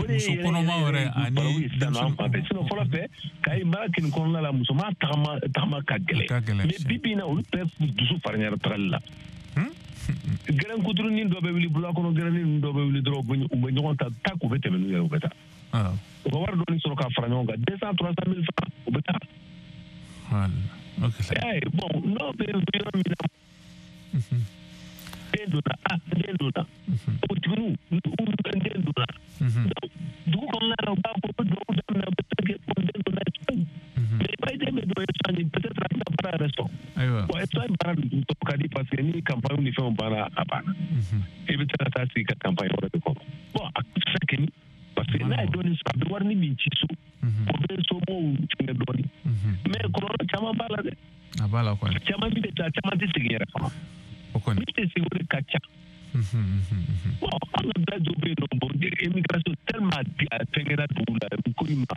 kɔnɔma yɛrɛ ani denmisɛnnin. Sinon fɔlɔ fɛ, Kayi mara kin kɔnɔna la, musoman tagama ka gɛlɛn. Mais bi bi in na, olu bɛɛ dusu farinyara tagali la. Gɛrɛn kuturunin dɔ bɛ wuli bula kɔnɔ, gɛrɛnin dɔ bɛ wuli dɔrɔn, u bɛ ɲɔgɔn ta k'u bɛ tɛmɛ n'u yɛrɛ, u bɛ taa. U ka wari dɔɔni sɔrɔ k'a fara ɲɔgɔn kan, 200 300 000 francs, u bɛ taa. Bon, n'o bɛ yɔrɔ min na, den donna, den donna, npogotigininw den donna. Dugu kɔnɔna la, u b'a fɔ u bɛ dugawu daminɛ, u bɛ fɛn kɛ, den donna Espagne. Mais i b'a ye den bɛ don Espagne, peut-être a tɛna baara yɛrɛ sɔrɔ. Bon, Espagne baara dun tɔ ka di, parce que ni campagne ni fɛnw banna, a banna. I bɛ se ka taa sigi ka campagne wɛrɛ de kɔnɔ. Bon, a tɛ se ka kɛ ni, parce que n'a ye dɔɔnin sɔrɔ, a bɛ warini min ci so, o bɛ somɔgɔw fɛngɛ dɔɔnin. Mais kɔlɔlɔ caman b'a la dɛ. A b'a la kɔni. Caman min bɛ taa, caman tɛ segin yɛrɛ fana. Min tɛ segin, o de ka ca. Bon, an ka village dɔw bɛ yen nɔ, bon, immigration tellement a fɛngɛra dugu la, ko in ma.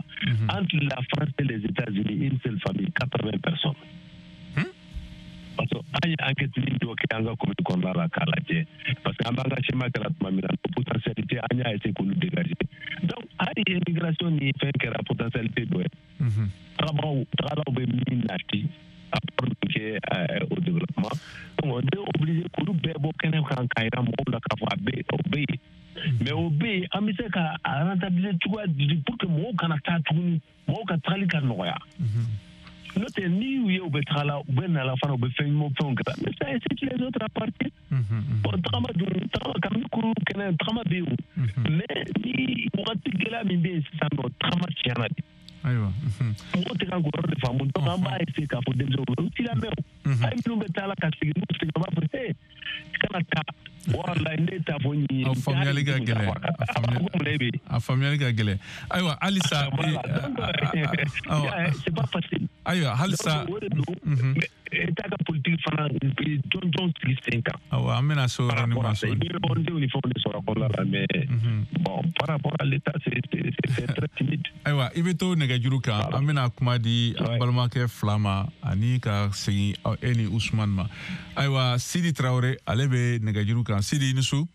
Entre la France et les États-Unis, une seule famille, 80 personnes. Parce que an ye enquête dɔ kɛ an ka commune kɔnɔna la k'a lajɛ, parce que an b'an ka schéma kɛra tuma min na, potentialité an y'a essayer k'olu dégager. Donc hali immigration ni fɛn kɛra potentialité dɔ ye. Tagabagaw, tagalaw bɛ min nati, apport min kɛ au développement. Donc on est obligé k'olu bɛɛ bɔ kɛnɛ kan k'a yira mɔgɔw la k'a fɔ a bɛ, o bɛ yen. Mais o bɛ yen, an bɛ se ka a rentabiliser cogoya di pour que mɔgɔw kana taa tuguni, mɔgɔw ka tagali ka nɔgɔya. N'o tɛ, n'i y'u ye u bɛ taga la, u bɛ na la fana, u bɛ fɛn ɲuman fɛnw kɛ, mais ça incite les autres à partir. Bon, tagama dun, tagama kabini kuru kɛnɛ, tagama bɛ yen o. Mais ni wagati gɛlɛya min bɛ yen sisan nɔ, tagama tiɲɛna de. Ayiwa. Mɔgɔw tɛ kan k'o yɔrɔ de faamu. Donc an b'a essayer k'a fɔ denmisɛnw ye, u t'i lamɛn o. Hali minnu bɛ taa la ka segin, n'u seginna, u b'a fɔ ee, kana taa. Walayi, ne t'a fɔ nin ye. A faamuyali ka gɛlɛn. A faamuyali ka gɛlɛn. Ayiwa, halisa. C'est pas facile. Ayiwa, halisa. O de don. État ka politique fana jɔnjɔn sigi sen kan. Awɔ, an bɛna se o yɔrɔnin ma sɔɔni. I bɛ ONG ni fɛnw de sɔrɔ a kɔnɔna la, mais bon, par rapport à l'État, c'est très timide. Ayiwa, i bɛ to nɛgɛjuru kan, an bɛna kuma di an balimakɛ fila ma ani ka segin e ni Usumani ma. Ayiwa, Sidi Tarawele, ale bɛ nɛgɛjuru kan. Sidi, i ni su.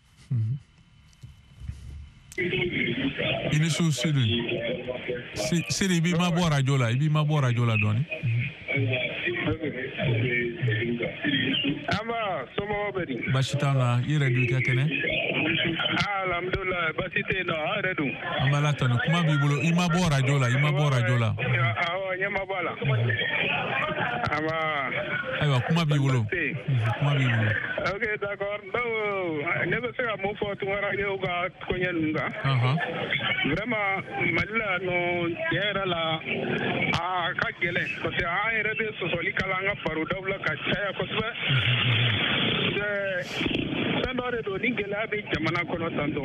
I ni su Sidi. Sidi, i b'i mabɔ radio la, i b'i mabɔ radio la dɔɔni. Amba, somɔgɔw bɛ di? Baasi t'an na, i yɛrɛ dun, i ka kɛnɛ? Alhamdulilayi, baasi tɛ yen nɔ, aw yɛrɛ dun? An b'Ala tanu, kuma b'i bolo, i ma bɔ radio la, i ma bɔ radio la. Awɔ, ɲɛ ma bɔ a la. Amba. Ayiwa, kuma b'i bolo. Kuma b'i bolo. Ok, d'accord. Donc, ne bɛ se ka mun fɔ tunkarankew ka koɲɛ ninnu kan? Vraiment, Mali la nɔ, tiɲɛ yɛrɛ la, a ka gɛlɛn, parce que an yɛrɛ bɛ sɔsɔli kala an ka barodaw la ka caya kosɛbɛ. Fɛn dɔ de don, ni gɛlɛya bɛ jamana kɔnɔ tantɔ.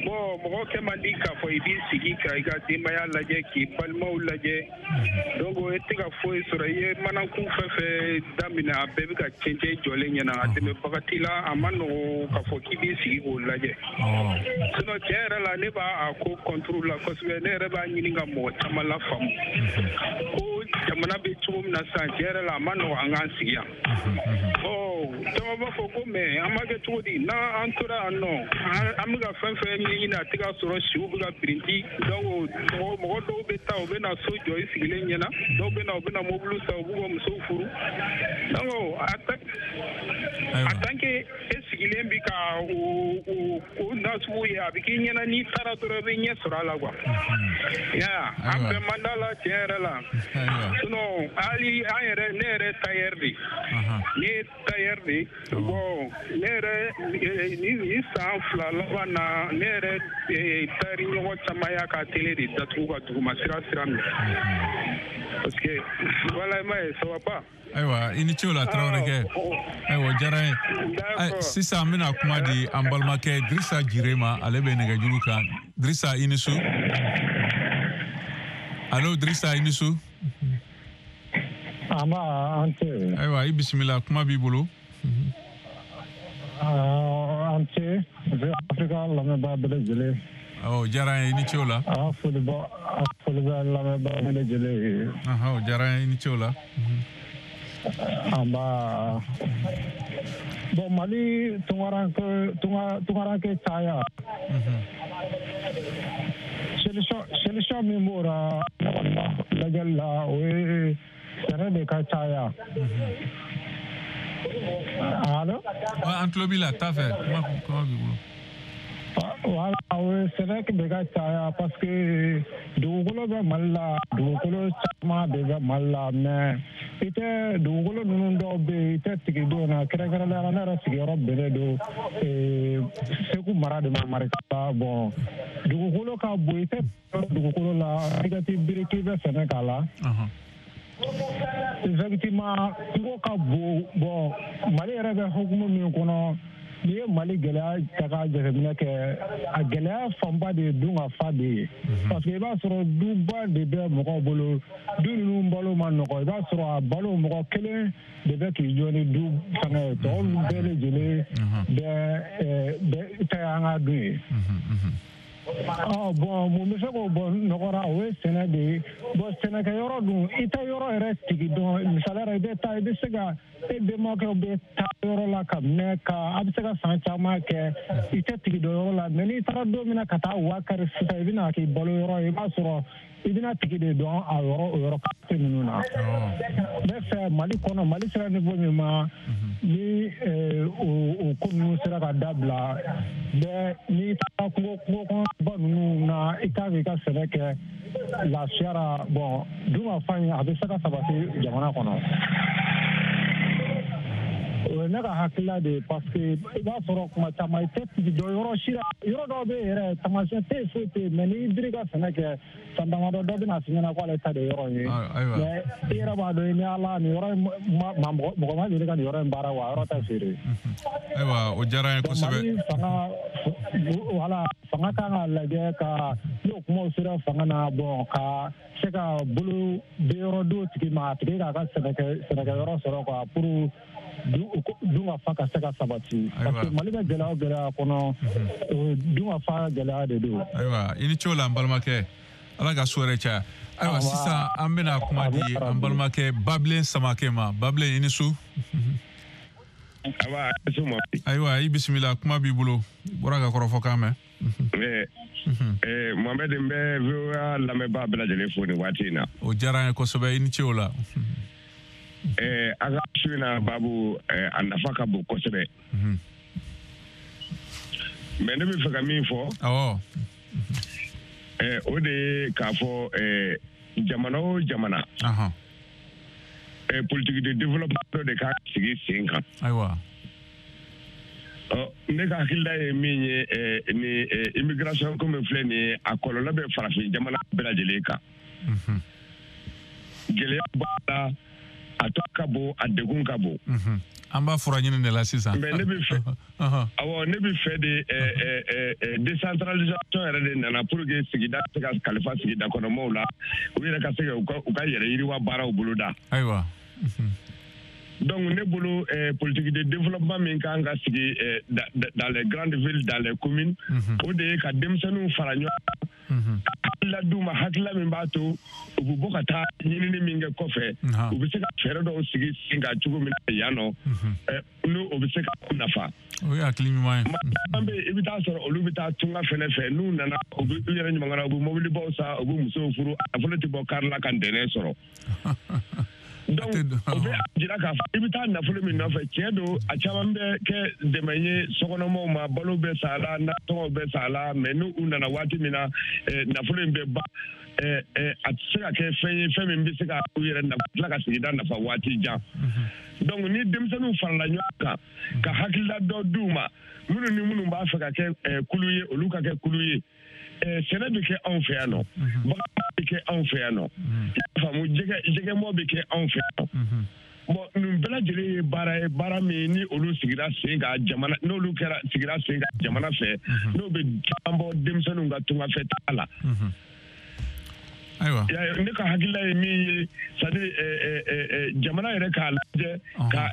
Bon, mɔgɔ kɛ man di k'a fɔ i b'i sigi ka i ka denbaya lajɛ, k'i balimaw lajɛ. Donc i tɛ ka foyi sɔrɔ, i ye manakun fɛn fɛn daminɛ, a bɛɛ bɛ ka cɛncɛn jɔlen ɲɛna. A dɛmɛbaga t'i la, a ma nɔgɔn k'a fɔ k'i b'i sigi k'o lajɛ. Sinon tiɲɛ yɛrɛ la, ne b'a a ko contre la kosɛbɛ. Ne yɛrɛ b'a ɲini ka mɔgɔ caman lafaamu ko jamana bɛ cogo min na sisan, tiɲɛ yɛrɛ la, a ma nɔgɔn an k'an sigi yan. Ɔ, caman b'a fɔ ko mais an b'a kɛ cogo di n'an tora yan nɔ, an bɛ ka fɛn fɛn ɲɛɲini, a tɛ ka sɔrɔ, siw bɛ ka birinti. Donc mɔgɔ dɔw bɛ taa, u bɛ na so jɔ i sigilen ɲɛna, dɔw bɛ na, u bɛ na mobili san, u b'u ka musow furu. Donc en tant que e sigilen bi ka o nasugu ye, a bɛ k'i ɲɛna n'i taara dɔrɔn i bɛ ɲɛ sɔrɔ a la quoi. Ya, an bɛɛ man d'a la tiɲɛ yɛrɛ la. Sinon hali an yɛrɛ, ne yɛrɛ tailleur de, ne ye tailleur de. Bon, ne yɛrɛ ni san 2 laban na, ne yɛrɛ tailleur ɲɔgɔn caman y'a ka télé de datugu ka duguma sira minɛ. Parce que voilà, i m'a ye, ça va pas. Ayiwa, i ni ce o la, Tarawelekɛ. Ayiwa, o diyara n ye. Sisan an bɛna kuma di an balimakɛ Dirisa Jire ma, ale bɛ nɛgɛjuru kan. Dirisa, i ni su. Allo, Dirisa, i ni su. An b'a, an tɛ. Ayiwa, i bisimila, kuma b'i bolo. An ce Afrika lamɛnbaa bɛɛ lajɛlen. O diyara an ye, i ni ce o la. A foli bɛ lamɛnbaa bɛɛ lajɛlen ye. O diyara an ye, i ni ce o la. Anba. Bon, Mali tungaranke caya. Solution min b'o la lajɛli la, o ye sɛnɛ de ka caya. Allo? An tulo b'i la, taa fɛ, kuma b'i bolo. Voilà, o ye sɛnɛ de ka caya parce que dugukolo bɛ Mali la, dugukolo caman de bɛ Mali la, mais i tɛ dugukolo ninnu dɔw bɛ yen, i tɛ tigi don na, kɛrɛnkɛrɛnnenya la ne yɛrɛ sigiyɔrɔ bɛnnen don Segu mara de ma, Marikala. Bon, dugukolo ka bon, i tɛ dugukolo la, i ka t'i biri k'i bɛ sɛnɛ k'a la. Effectivement, kungo ka bon. Bon, Mali yɛrɛ bɛ hukumu min kɔnɔ, n'i ye Mali gɛlɛya ta k'a jateminɛ kɛ, a gɛlɛya fanba de ye dun ka fa de ye. Parce que i b'a sɔrɔ duba de bɛ mɔgɔw bolo, du ninnu balo ma nɔgɔ, i b'a sɔrɔ a balo mɔgɔ kelen de bɛ k'i jɔ ni du fɛngɛ ye, tɔw bɛɛ lajɛlen bɛ ta an ka dun ye. Bon, mun bɛ se k'o bɔ nɔgɔ la, o ye sɛnɛ de ye. Bon, sɛnɛkɛyɔrɔ dun, i tɛ yɔrɔ yɛrɛ tigi dɔn. Misaliya la, i bɛ taa, i bɛ se ka e bɛnbakɛw bɛ taa yɔrɔ la ka mɛn, ka a bɛ se ka san caman kɛ, i tɛ tigi dɔn yɔrɔ la. Mais n'i taara don min na ka taa wa kari sisan, i bɛna k'i balo yɔrɔ ye, i b'a sɔrɔ i bɛna tigi de dɔn a yɔrɔ, o yɔrɔ quartier ninnu na. Ne fɛ, Mali kɔnɔ, Mali sera niveau min ma, ni o ko ninnu sera ka dabila bɛɛ, n'i taara kungo kɔnɔba ninnu na, i kan k'i ka sɛnɛ kɛ lafiya la. Bon, dun ka fa in, a bɛ se ka sabati jamana kɔnɔ. O ye ne ka hakilila de ye, parce que i b'a sɔrɔ kuma caman i tɛ tigi dɔn yɔrɔ si la, yɔrɔ dɔw bɛ yen yɛrɛ, taamasiyɛn tɛ yen, foyi tɛ yen, mais n'i biri ka sɛnɛ kɛ san damadɔ, dɔ bɛna f'i ɲɛna k'ale ta de yɔrɔ in ye. Mais i yɛrɛ b'a dɔn, i ni Ala, nin yɔrɔ in, mɔgɔ ma deli ka nin yɔrɔ in baara wa, a yɔrɔ tɛ feere. Ayiwa, o diyara an ye kosɛbɛ. Mali fanga, voilà, fanga kan ka lajɛ ka n'o kumaw sera fanga na, bon, ka se ka bolo di yɔrɔ d'o tigi ma, a tigi k'a ka sɛnɛkɛyɔrɔ sɔrɔ quoi, pour dun ka fa ka se ka sabati. Parce que Mali bɛ gɛlɛya o gɛlɛya kɔnɔ, dun ka fa gɛlɛya de don. Ayiwa, i ni ce o la, an balimakɛ. Ala ka so yɛrɛ caya. Ayiwa, sisan an bɛna kuma di an balimakɛ Babilen Samakɛ ma. Babilen, i ni su. Ayiwa, i bisimila, kuma b'i bolo. I bɔra ka kɔrɔfɔ kan mɛn. Mohamed, n bɛ VOA lamɛnbaa bɛɛ lajɛlen fo nin waati in na. O diyara an ye kosɛbɛ, i ni ce o la. A ka su in na babu, a nafa ka bon kosɛbɛ. Mais ne bɛ fɛ ka min fɔ. Awɔ. O de ye k'a fɔ jamana o jamana, politique de développement dɔ de ka sigi sen kan. Ayiwa. Ne ka hakilila ye min ye, ni immigration ko min filɛ nin ye, a kɔlɔlɔ bɛ farafin jamana bɛɛ lajɛlen kan. Gɛlɛya b'a la, a tɔ ka bon, a degun ka bon. An b'a fura ɲini de la sisan. Mais ne bɛ fɛ, awɔ, ne bɛ fɛ de décentralisation yɛrɛ de nana pour que sigida se ka kalifa sigida kɔnɔmɔgɔw la, u yɛrɛ ka se ka u ka yɛrɛ yiriwa baaraw boloda. Ayiwa. Donc ne bolo, politique de développement min kan ka sigi dans les grandes villes, dans les communes, o de ye ka denmisɛnninw fara ɲɔgɔn kan, hakilila d'u ma, hakilila min b'a to u bɛ bɔ ka taa ɲinini min kɛ kɔfɛ, u bɛ se ka fɛɛrɛ dɔw sigi sen kan cogo min na yan nɔ, n'o o bɛ se ka u nafa. O ye hakili ɲuman ye. Maa caman bɛ yen, i bɛ taa sɔrɔ olu bɛ taa tunga fɛnɛ fɛ, n'u nana, u bɛ u yɛrɛ ɲuman, u bɛ mobilibaw san, u bɛ musow furu, a nafolo tɛ bɔ kari la ka ntɛnɛn sɔrɔ. Donc o bɛ jira k'a fɔ i bɛ taa nafolo min nɔfɛ, tiɲɛ don, a caman bɛ kɛ dɛmɛ ye sokɔnɔmɔgɔw ma, balo bɛ san a la, nasɔngɔw bɛ san a la, mais n'u nana waati min na, nafolo in bɛ ban, a tɛ se ka kɛ fɛn ye, fɛn min bɛ se ka u yɛrɛ nafa, tila ka sigida nafa waati jan. Donc ni denmisɛnninw farala ɲɔgɔn kan ka hakilila dɔ d'u ma, minnu ni minnu b'a fɛ ka kɛ kulu ye, olu ka kɛ kulu ye. Sɛnɛ bɛ kɛ anw fɛ yan nɔ, bagan bɛ kɛ anw fɛ yan nɔ, i y'a faamu, jɛgɛmɔ bɛ kɛ anw fɛ yan nɔ. Bon, nin bɛɛ lajɛlen ye baara ye, baara min ni olu sigira sen kan jamana, n'olu kɛra sigira sen kan jamana fɛ, n'o bɛ caman bɔ denmisɛnninw ka tungafɛ taa la. Ayiwa. Ne ka hakilila ye min ye, c'est à dire jamana yɛrɛ k'a lajɛ ka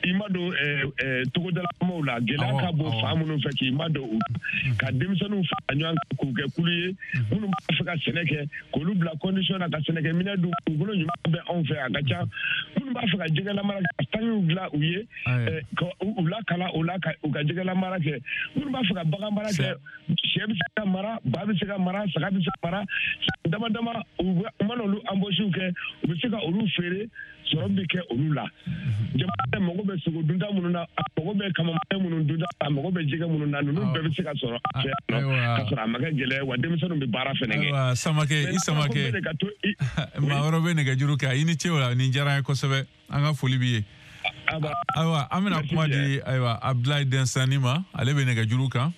I ma don togodalamɔgɔw la, gɛlɛya ka bon fan minnu fɛ, k'i ma don u ka denmisɛnninw fara ɲɔgɔn kan k'u kɛ kulu ye, minnu b'a fɛ ka sɛnɛ kɛ, k'olu bila condition na ka sɛnɛkɛminɛn d'u dugukolo ɲuman bɛ anw fɛ, a ka ca. Minnu b'a fɛ ka jɛgɛlamara kɛ, ka tangiw dilan u ye, ka u lakalan o la, ka u ka jɛgɛlamara kɛ. Minnu b'a fɛ ka bagan mara kɛ, sɛ bɛ se ka mara, ba bɛ se ka mara, saga bɛ se ka mara, san dama dama u mana olu embauche kɛ, u bɛ se ka olu feere, sɔrɔ bɛ kɛ olu la. Jamana mago bɛ sogo dunta minnu na, a mago bɛ kamamaya minnu dunta, a mago bɛ jɛgɛ minnu na, ninnu bɛɛ bɛ se ka sɔrɔ a fɛ yan nɔ, ka sɔrɔ a ma kɛ gɛlɛya, wa denmisɛnninw bɛ baara fɛnɛ kɛ. Ayiwa Samakɛ, i Samakɛ, maa wɛrɛ bɛ nɛgɛjuru kan. I ni ce o la, nin diyara an ye kosɛbɛ, an ka foli b'i ye. Ayiwa, an bɛna kuma di ayiwa Abdoulaye Densani ma, ale bɛ nɛgɛjuru kan.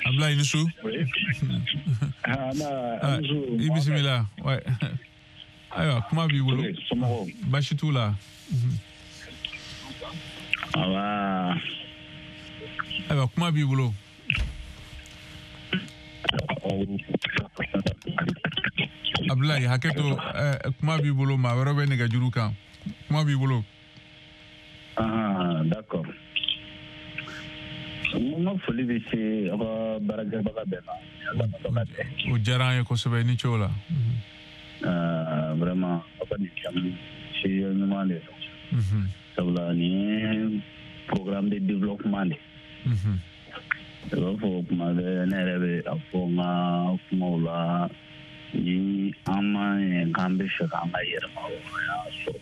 Abdoulaye, i ni su. I bisimila. Ayiwa, kuma b'i bolo. Baasi t'u la. Ayiwa, kuma b'i bolo. Abdoulaye, hakɛ to, kuma b'i bolo, maa wɛrɛ bɛ nɛgɛjuru kan. Kuma b'i bolo. Ah, d'accord. N ka foli bɛ se aw ka baarakɛbaga bɛɛ ma. O diyara an ye kosɛbɛ, ni ce o la. Vraiment, aw ka nin thème sujet ɲuman de don. Sabula nin ye programme de développement de. I b'a fɔ kuma bɛɛ, ne yɛrɛ bɛ a fɔ n ka kumaw la, ni an ma ɲɛ k'an bɛ fɛ k'an ka yɛrɛmahɔrɔnya sɔrɔ,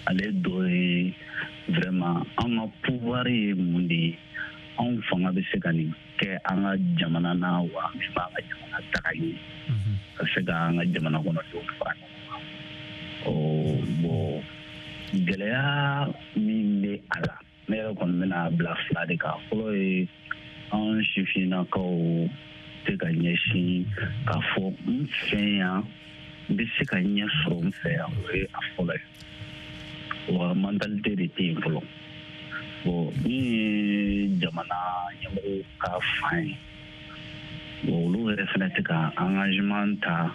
ale dɔ ye vraiment an ka pouvoir ye mun de ye, anw fanga bɛ se ka nin kɛ an ka jamana na wa, min b'an ka jamana taga ɲɛ, ka se ka an ka jamana kɔnɔdenw fara ɲɔgɔn kan. Bon, gɛlɛya min bɛ a la, ne yɛrɛ kɔni bɛna bila fila de kan. Fɔlɔ ye, an sifinnakaw tɛ ka ɲɛsin k'a fɔ n fɛ yan, n bɛ se ka ɲɛ sɔrɔ n fɛ yan, o ye a fɔlɔ ye. Wa mentalité de tɛ yen fɔlɔ. Bon, min ye jamana ɲɛmɔgɔw ka fan ye, bon, olu yɛrɛ fana tɛ ka engagement ta.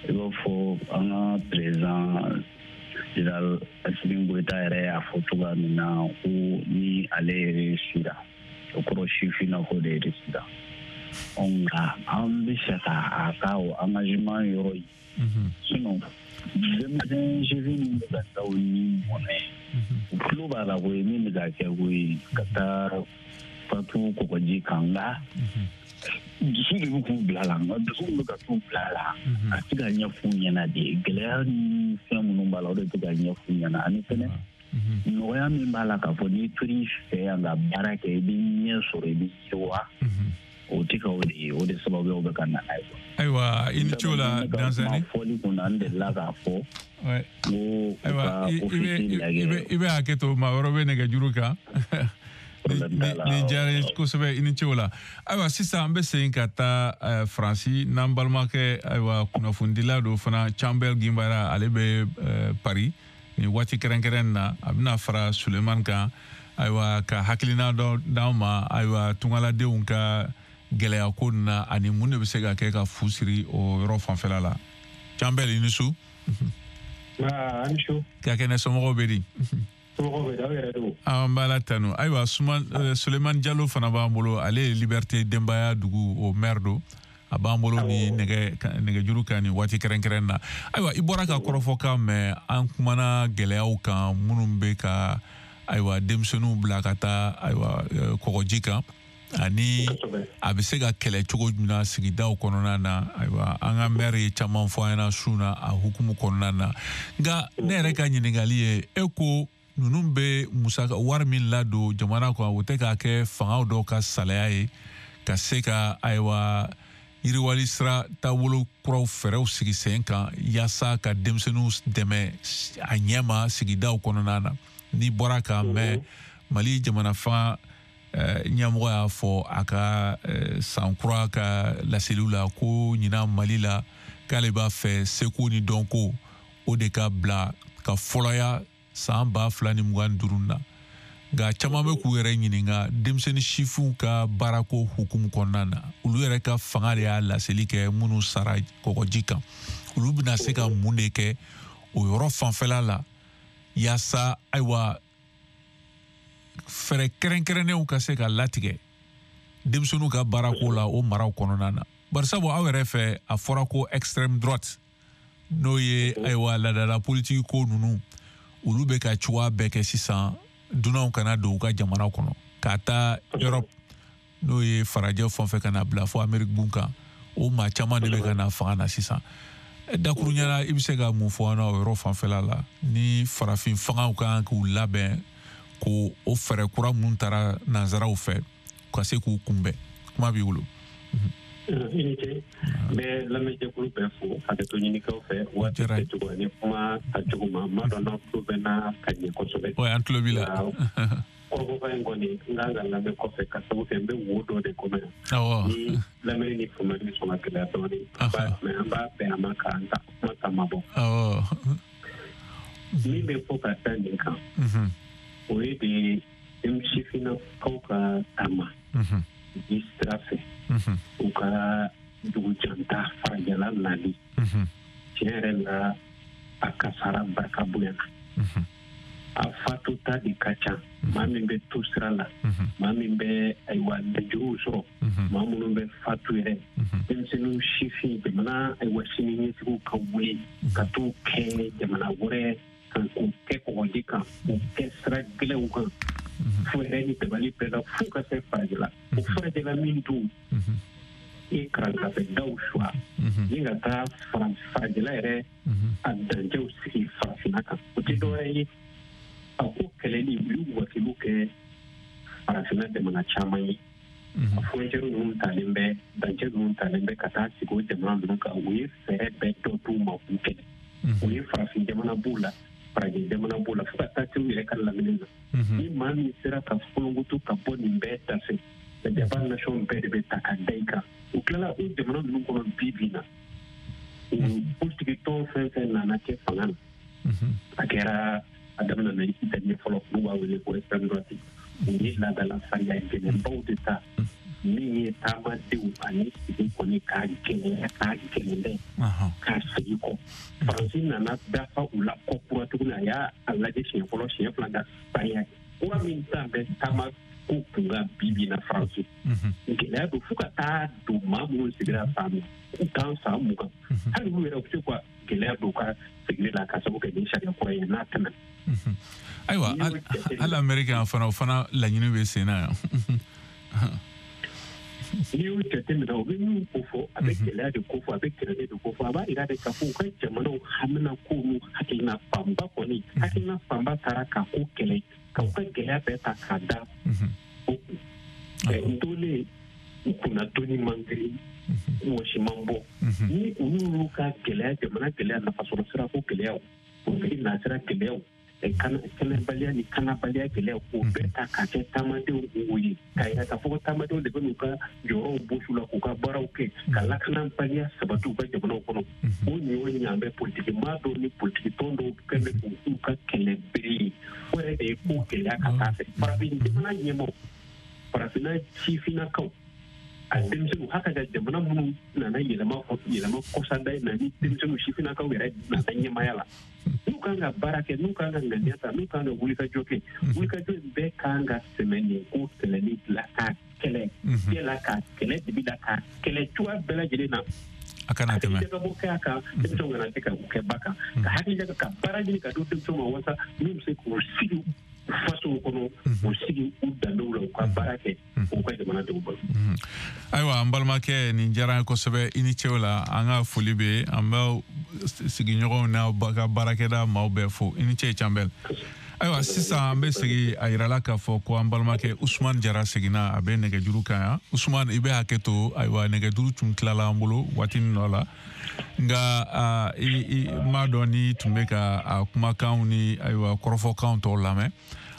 I b'a fɔ an ka président général Assimi Goïta yɛrɛ y'a fɔ cogoya min na ko ni ale réussira, o kɔrɔ sifinnakaw de réussira. Nka an bɛ fɛ ka a ka o engagement yɔrɔ ye. Sinon denmisɛn sifin min bɛ ka taa o ni mɔnɛ, u tulo b'a la koyi, min bɛ ka kɛ koyi, ka taa fatu kɔgɔji kan, nka dusu de bɛ k'u bila la, nka dusu bɛ ka t'u bila la, a tɛ ka ɲɛf'u ɲɛna de. Gɛlɛya ni fɛn minnu b'a la, o de tɛ ka ɲɛf'u ɲɛna. Ani fɛnɛ nɔgɔya min b'a la, k'a fɔ n'i tor'i fɛ yan ka baara kɛ, i bɛ ɲɛ sɔrɔ, i bɛ yiriwa, o tɛ ka o de ye, o de sababuyaw bɛ ka na n'a ye. Ayiwa, i ni ce o la, Dansani. Fɔli kun na, n delila k'a fɔ. Ayiwa, i bɛ hakɛ to, maa wɛrɛ bɛ nɛgɛjuru kan. Nin diyara n ye kosɛbɛ, i ni ce o la. Ayiwa, sisan an bɛ segin ka taa Faransi n'an balimakɛ, ayiwa, kunnafonidila don fana, Canbɛl Ginbara, ale bɛ Paris nin waati kɛrɛnkɛrɛn na. A bɛna fara Sulemani kan, ayiwa, ka hakilina dɔ d'an ma, ayiwa, tungaladenw ka gɛlɛya ko nin na, ani mun de bɛ se ka kɛ ka fu siri o yɔrɔ fanfɛla la. Canbɛl, i ni su. Ani su. Ka kɛnɛ, somɔgɔw bɛ di? An b'a la tanu. Ayiwa, Sulemani Jalo fana b'an bolo, ale ye Liberté Denbaya dugu o maire don, a b'an bolo ni nɛgɛjuru kan nin waati kɛrɛnkɛrɛn na. Ayiwa, i bɔra ka kɔrɔfɔ kan mɛn, an kumana gɛlɛyaw kan minnu bɛ ka ayiwa denmisɛnninw bila ka taa ayiwa kɔgɔji kan, ani a bɛ se ka kɛlɛ cogo min na sigidaw kɔnɔna na. Ayiwa, an ka maire ye caman fɔ an ɲɛna su na a hukumu kɔnɔna na. Nka ne yɛrɛ ka ɲininkali ye, e ko ninnu bɛ musaka wari min ladon jamana kɔnɔ, o tɛ k'a kɛ fangaw dɔw ka salaya ye ka se ka ayiwa yiriwali sira taabolo kuraw fɛɛrɛw sigi sen kan yaasa ka denmisɛnninw dɛmɛ a ɲɛma sigidaw kɔnɔna na. N'i bɔra k'a mɛn, Mali jamana fanga ɲɛmɔgɔ y'a fɔ a ka san kura ka laseliw la ko ɲinan Mali la, k'ale b'a fɛ seko ni dɔnko o de ka bila ka fɔlɔya san 2025 na. Nka caman bɛ k'u yɛrɛ ɲininka denmisɛnnin sifinw ka baarako hukumu kɔnɔna na, olu yɛrɛ ka fanga de y'a laseli kɛ minnu sara kɔgɔji kan, olu bɛna se ka mun de kɛ o yɔrɔ fanfɛla la Yaasa ayiwa fɛɛrɛ kɛrɛnkɛrɛnnenw ka se ka latigɛ denmisɛnninw ka baarako la o maraw kɔnɔna na. Barisabu aw yɛrɛ fɛ a fɔra ko extrême droite n'o ye ayiwa laadala politiki ko ninnu, olu bɛ ka cogoya bɛɛ kɛ sisan dunanw kana don u ka jamana kɔnɔ, k'a ta Europe n'o ye farajɛ fan fɛ ka na bila fo Amérique gun kan, o maa caman de bɛ ka na fanga na sisan. Dakuruɲɛ la, i bɛ se ka mun fɔ an na o yɔrɔ fanfɛla la, ni farafin fangaw ka kan k'u labɛn k'o o fɛɛrɛ kura minnu taara nanzaraw fɛ ka se k'u kunbɛn? Kuma b'i bolo. I ni ce. N bɛ lamɛnjɛkulu bɛɛ fo, hakɛto ɲinikaw fɛ waati kɛcogo ani kuma tacogo ma. N m'a dɔn n'aw tulo bɛ n na ka ɲɛ kosɛbɛ. Ouais, an tulo b'i la. Kɔrɔfɔba in kɔni n kan ka lamɛn kɔfɛ, ka sababu kɛ n bɛ wo dɔ de kɔnɔ yan. Ni lamɛnni ni faamuyali bɛ sɔn ka gɛlɛya dɔɔnin, mais an b'a bɛn a ma k'an ta kuma ta mabɔ. Min bɛ fɔ ka da nin kan, o ye de sifinnakaw ka taama ji sira fɛ, u ka dugujanta farajɛla nali. Tiɲɛ yɛrɛ la, a kasara barika bonyana. A fatuta de ka ca. Maa min bɛ to sira la, maa min bɛ ayiwa lajɛw sɔrɔ, maa minnu bɛ fatu yɛrɛ, denmisɛnninw, sifin, jamana ayiwa sini ɲɛsigiw ka wuli ka t'u kɛ jamana wɛrɛ kan, k'u kɛ kɔgɔji kan, k'u kɛ sira gɛlɛnw kan, fo yɛrɛ ni dabali bɛɛ la, f'u ka se farajɛla. O farajɛla min dun i karankafe daw suwa ni ka taa farajɛla yɛrɛ a dancɛw sigi farafinna kan, o tɛ dɔwɛrɛ ye. A ko kɛlɛli, u y'u wakiliw kɛ farafinna jamana caman ye. A frontière ninnu talen bɛ, dancɛ ninnu talen bɛ ka taa sigi o jamana ninnu kan. U ye fɛɛrɛ bɛɛ dɔ d'u ma k'u kɛlɛ. U ye farafin jamana b'u la, farajɛ jamana b'u la, fo ka taa se u yɛrɛ ka lamini na. Ni maa min sera ka folonkoto ka bɔ nin bɛɛ da fɛ, jaba nation bɛɛ de bɛ ta ka da i kan. U tilala o jamana ninnu kɔnɔ bi bi na, politiki tɔn fɛn fɛn nana kɛ fanga na, a kɛra a daminɛ na Italie fɔlɔ, n'u b'a wele ko extrême droite, u ye laadala sariya gɛlɛnbaw de ta min ye taamadenw ani sigi kɔni k'a gɛlɛya, k'a gɛlɛn k'a segin kɔ. Faransi nana dafa u la kɔ kura tuguni. A y'a lajɛ siɲɛ fɔlɔ, siɲɛ fila, ka sariya kura min ta bɛ taama ko kun ka bi bi na Faransi gɛlɛya don, fo ka taa don maa minnu sigira san 10, san 20, hali olu yɛrɛ u bɛ se ka gɛlɛya don u ka sigili la ka sababu kɛ nin sariya kura ye n'a tɛmɛna. Ayiwa, hali Ameriki fana, o fana laɲini bɛ sen na yan. N'i y'o jateminɛ, o bɛ min ko fɔ, a bɛ gɛlɛya de ko fɔ, a bɛ kɛlɛ de ko fɔ. A b'a jira de k'a fɔ u ka jamanaw hamina ko n'u hakilina fanba kɔni, hakilina fanba taara k'a ko kɛlɛ, ka u ka gɛlɛya bɛɛ ta k'a da o kun. N tolen u kunna doni man girin, wɔsi man bɔ. Ni olu y'u ka gɛlɛya, jamana gɛlɛya, nafasɔrɔ sira ko gɛlɛyaw, politiki nasira gɛlɛyaw, kɛnɛbaliya ni kanabaliya gɛlɛyaw, k'o bɛɛ ta k'a kɛ taamadenw wo ye, k'a yira k'a fɔ ko taamadenw de bɛ n'u ka jɔyɔrɔw bosu la k'u ka baaraw kɛ, ka lakanabaliya sabati u ka jamanaw kɔnɔ. O ɲɔ ɲan bɛ politiki maa dɔw ni politiki tɔn dɔw kɛn bɛ k'u ka kɛlɛ bere ye. O yɛrɛ de ye ko gɛlɛya ka taa fɛ. Farafin jamana ɲɛmaaw, farafinna sifinnakaw, a denmisɛnninw haka ka jamana minnu nana yɛlɛma yɛlɛma kɔsada in na, ni denmisɛnninw sifinnakaw yɛrɛ nana ɲɛmaaya la, n'u kan ka baara kɛ, n'u kan ka ŋaniya ta, n'u kan ka wulikajɔ kɛ, wulikajɔ in bɛɛ kan ka sɛmɛ nin ko kɛlɛli la, k'a kɛlɛ jɛ la, k'a kɛlɛ dibi la, k'a kɛlɛ cogoya bɛɛ lajɛlen na. A kana tɛmɛ. Hakili kɛ a kan, denmisɛnw kana se ka u kɛ ba kan, ka hakili ka baara ɲini ka di denmisɛnw ma, walasa min bɛ se k'u sigi fasow kɔnɔ, u sigi u danbew la, u ka baara kɛ u ka jamanadenw bolo. Ayiwa, an balimakɛ, nin diyara an ye kosɛbɛ. I ni cew la, an ka foli bɛ an b'aw sigiɲɔgɔnw n'aw ka baarakɛda maaw bɛɛ fo. I ni ce, Canbɛl. Ayiwa, sisan an bɛ segin a yirala k'a fɔ ko an balimakɛ Usumani Jara seginna, a bɛ nɛgɛjuru kan yan. Usumani, i bɛ hakɛ to. Ayiwa, nɛgɛjuru tun tilala an bolo waati dɔ la, nka i m'a dɔn ni tun bɛ ka a kumakanw ni ayiwa kɔrɔfɔkanw tɔw lamɛn.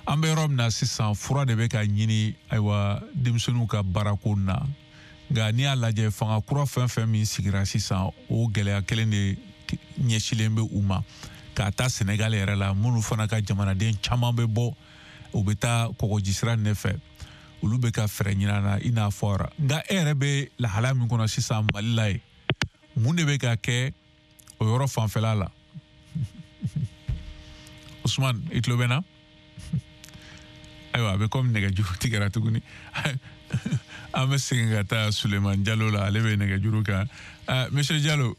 An bɛ yɔrɔ min na sisan, fura de bɛ ka ɲini ayiwa denmisɛnninw ka baarako na. Nka n'i y'a lajɛ, fanga kura fɛn fɛn min sigira sisan, o gɛlɛya kelen de ɲɛsilen bɛ u ma. K'a ta Senegal yɛrɛ la, minnu fana ka jamanaden caman bɛ bɔ, u bɛ taa kɔgɔjisira nin de fɛ, olu bɛ ka fɛɛrɛ ɲini an na i n'a fɔ. Nka e yɛrɛ bɛ lahalaya min kɔnɔ sisan Mali la yen, mun de bɛ ka kɛ o yɔrɔ fanfɛla la? Usman, i tulo bɛ n na? Ayiwa, a bɛ komi nɛgɛjuru tigɛra tuguni. An bɛ segin ka taa Sulemani Jalo la, ale bɛ nɛgɛjuru kan. Monsieur Jalo,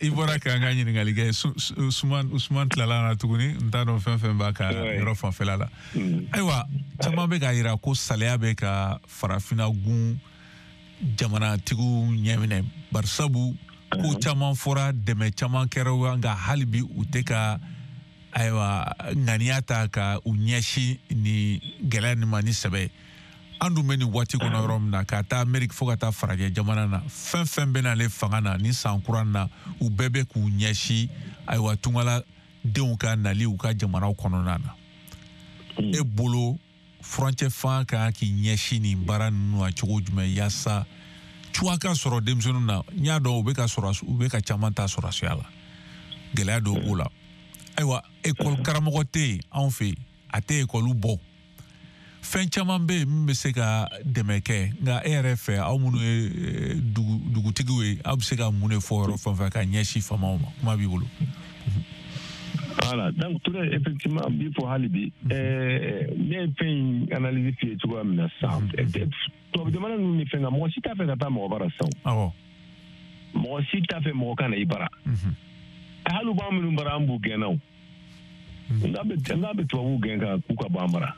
i bɔra k'an ka ɲininkali kɛ. Usman tilala na tuguni, n t'a dɔn fɛn fɛn b'a ka yɔrɔ fanfɛla la. Ayiwa, caman bɛ k'a yira ko saliya bɛ ka farafinna gun jamanatigiw ɲɛminɛ, barisabu ko caman fɔra, dɛmɛ caman kɛra, nka hali bi u tɛ ka ayiwa ŋaniya ta ka u ɲɛsin ni gɛlɛya nin ma ni sɛbɛ. An dun bɛ nin waati kɔnɔ yɔrɔ min na, ka taa Ameriki fo ka taa farajɛ jamana na, fɛn fɛn bɛ n'ale fanga na ni san kura na, u bɛɛ bɛ k'u ɲɛsin ayiwa tungala denw ka nali u ka jamanaw kɔnɔna na. E bolo, furancɛ fanga kan k'i ɲɛsin nin baara ninnu ma cogo jumɛn yaasa cuwa ka sɔrɔ denmisɛnninw na? N y'a dɔn u bɛ ka sɔrɔ, u bɛ ka caman ta sɔrɔsiya la, gɛlɛya dɔw b'o la. Ayiwa, ekɔli karamɔgɔ tɛ yen anw fɛ yen, a tɛ ekɔliw bɔ. Fɛn caman bɛ yen min bɛ se ka dɛmɛ kɛ, nka e yɛrɛ fɛ, aw minnu ye dugutigiw ye, aw bɛ se ka mun de fɔ yɔrɔ fɛn fɛn ka ɲɛsin faamaw ma? Kuma b'i bolo. Voilà, donc Touré, effectivement, bi fɔ hali bi, ne ye fɛn in analyse f'i ye cogoya min na sisan, tubabu jamana ninnu ni fɛn kan, mɔgɔ si t'a fɛ ka taa mɔgɔ bara sisan. Awɔ. Mɔgɔ si t'a fɛ mɔgɔ ka na i bara. Hali b'an minnu bara, an b'u gɛnna o. N k'a bɛ tubabuw gɛn ka k'u ka bɔ an bara.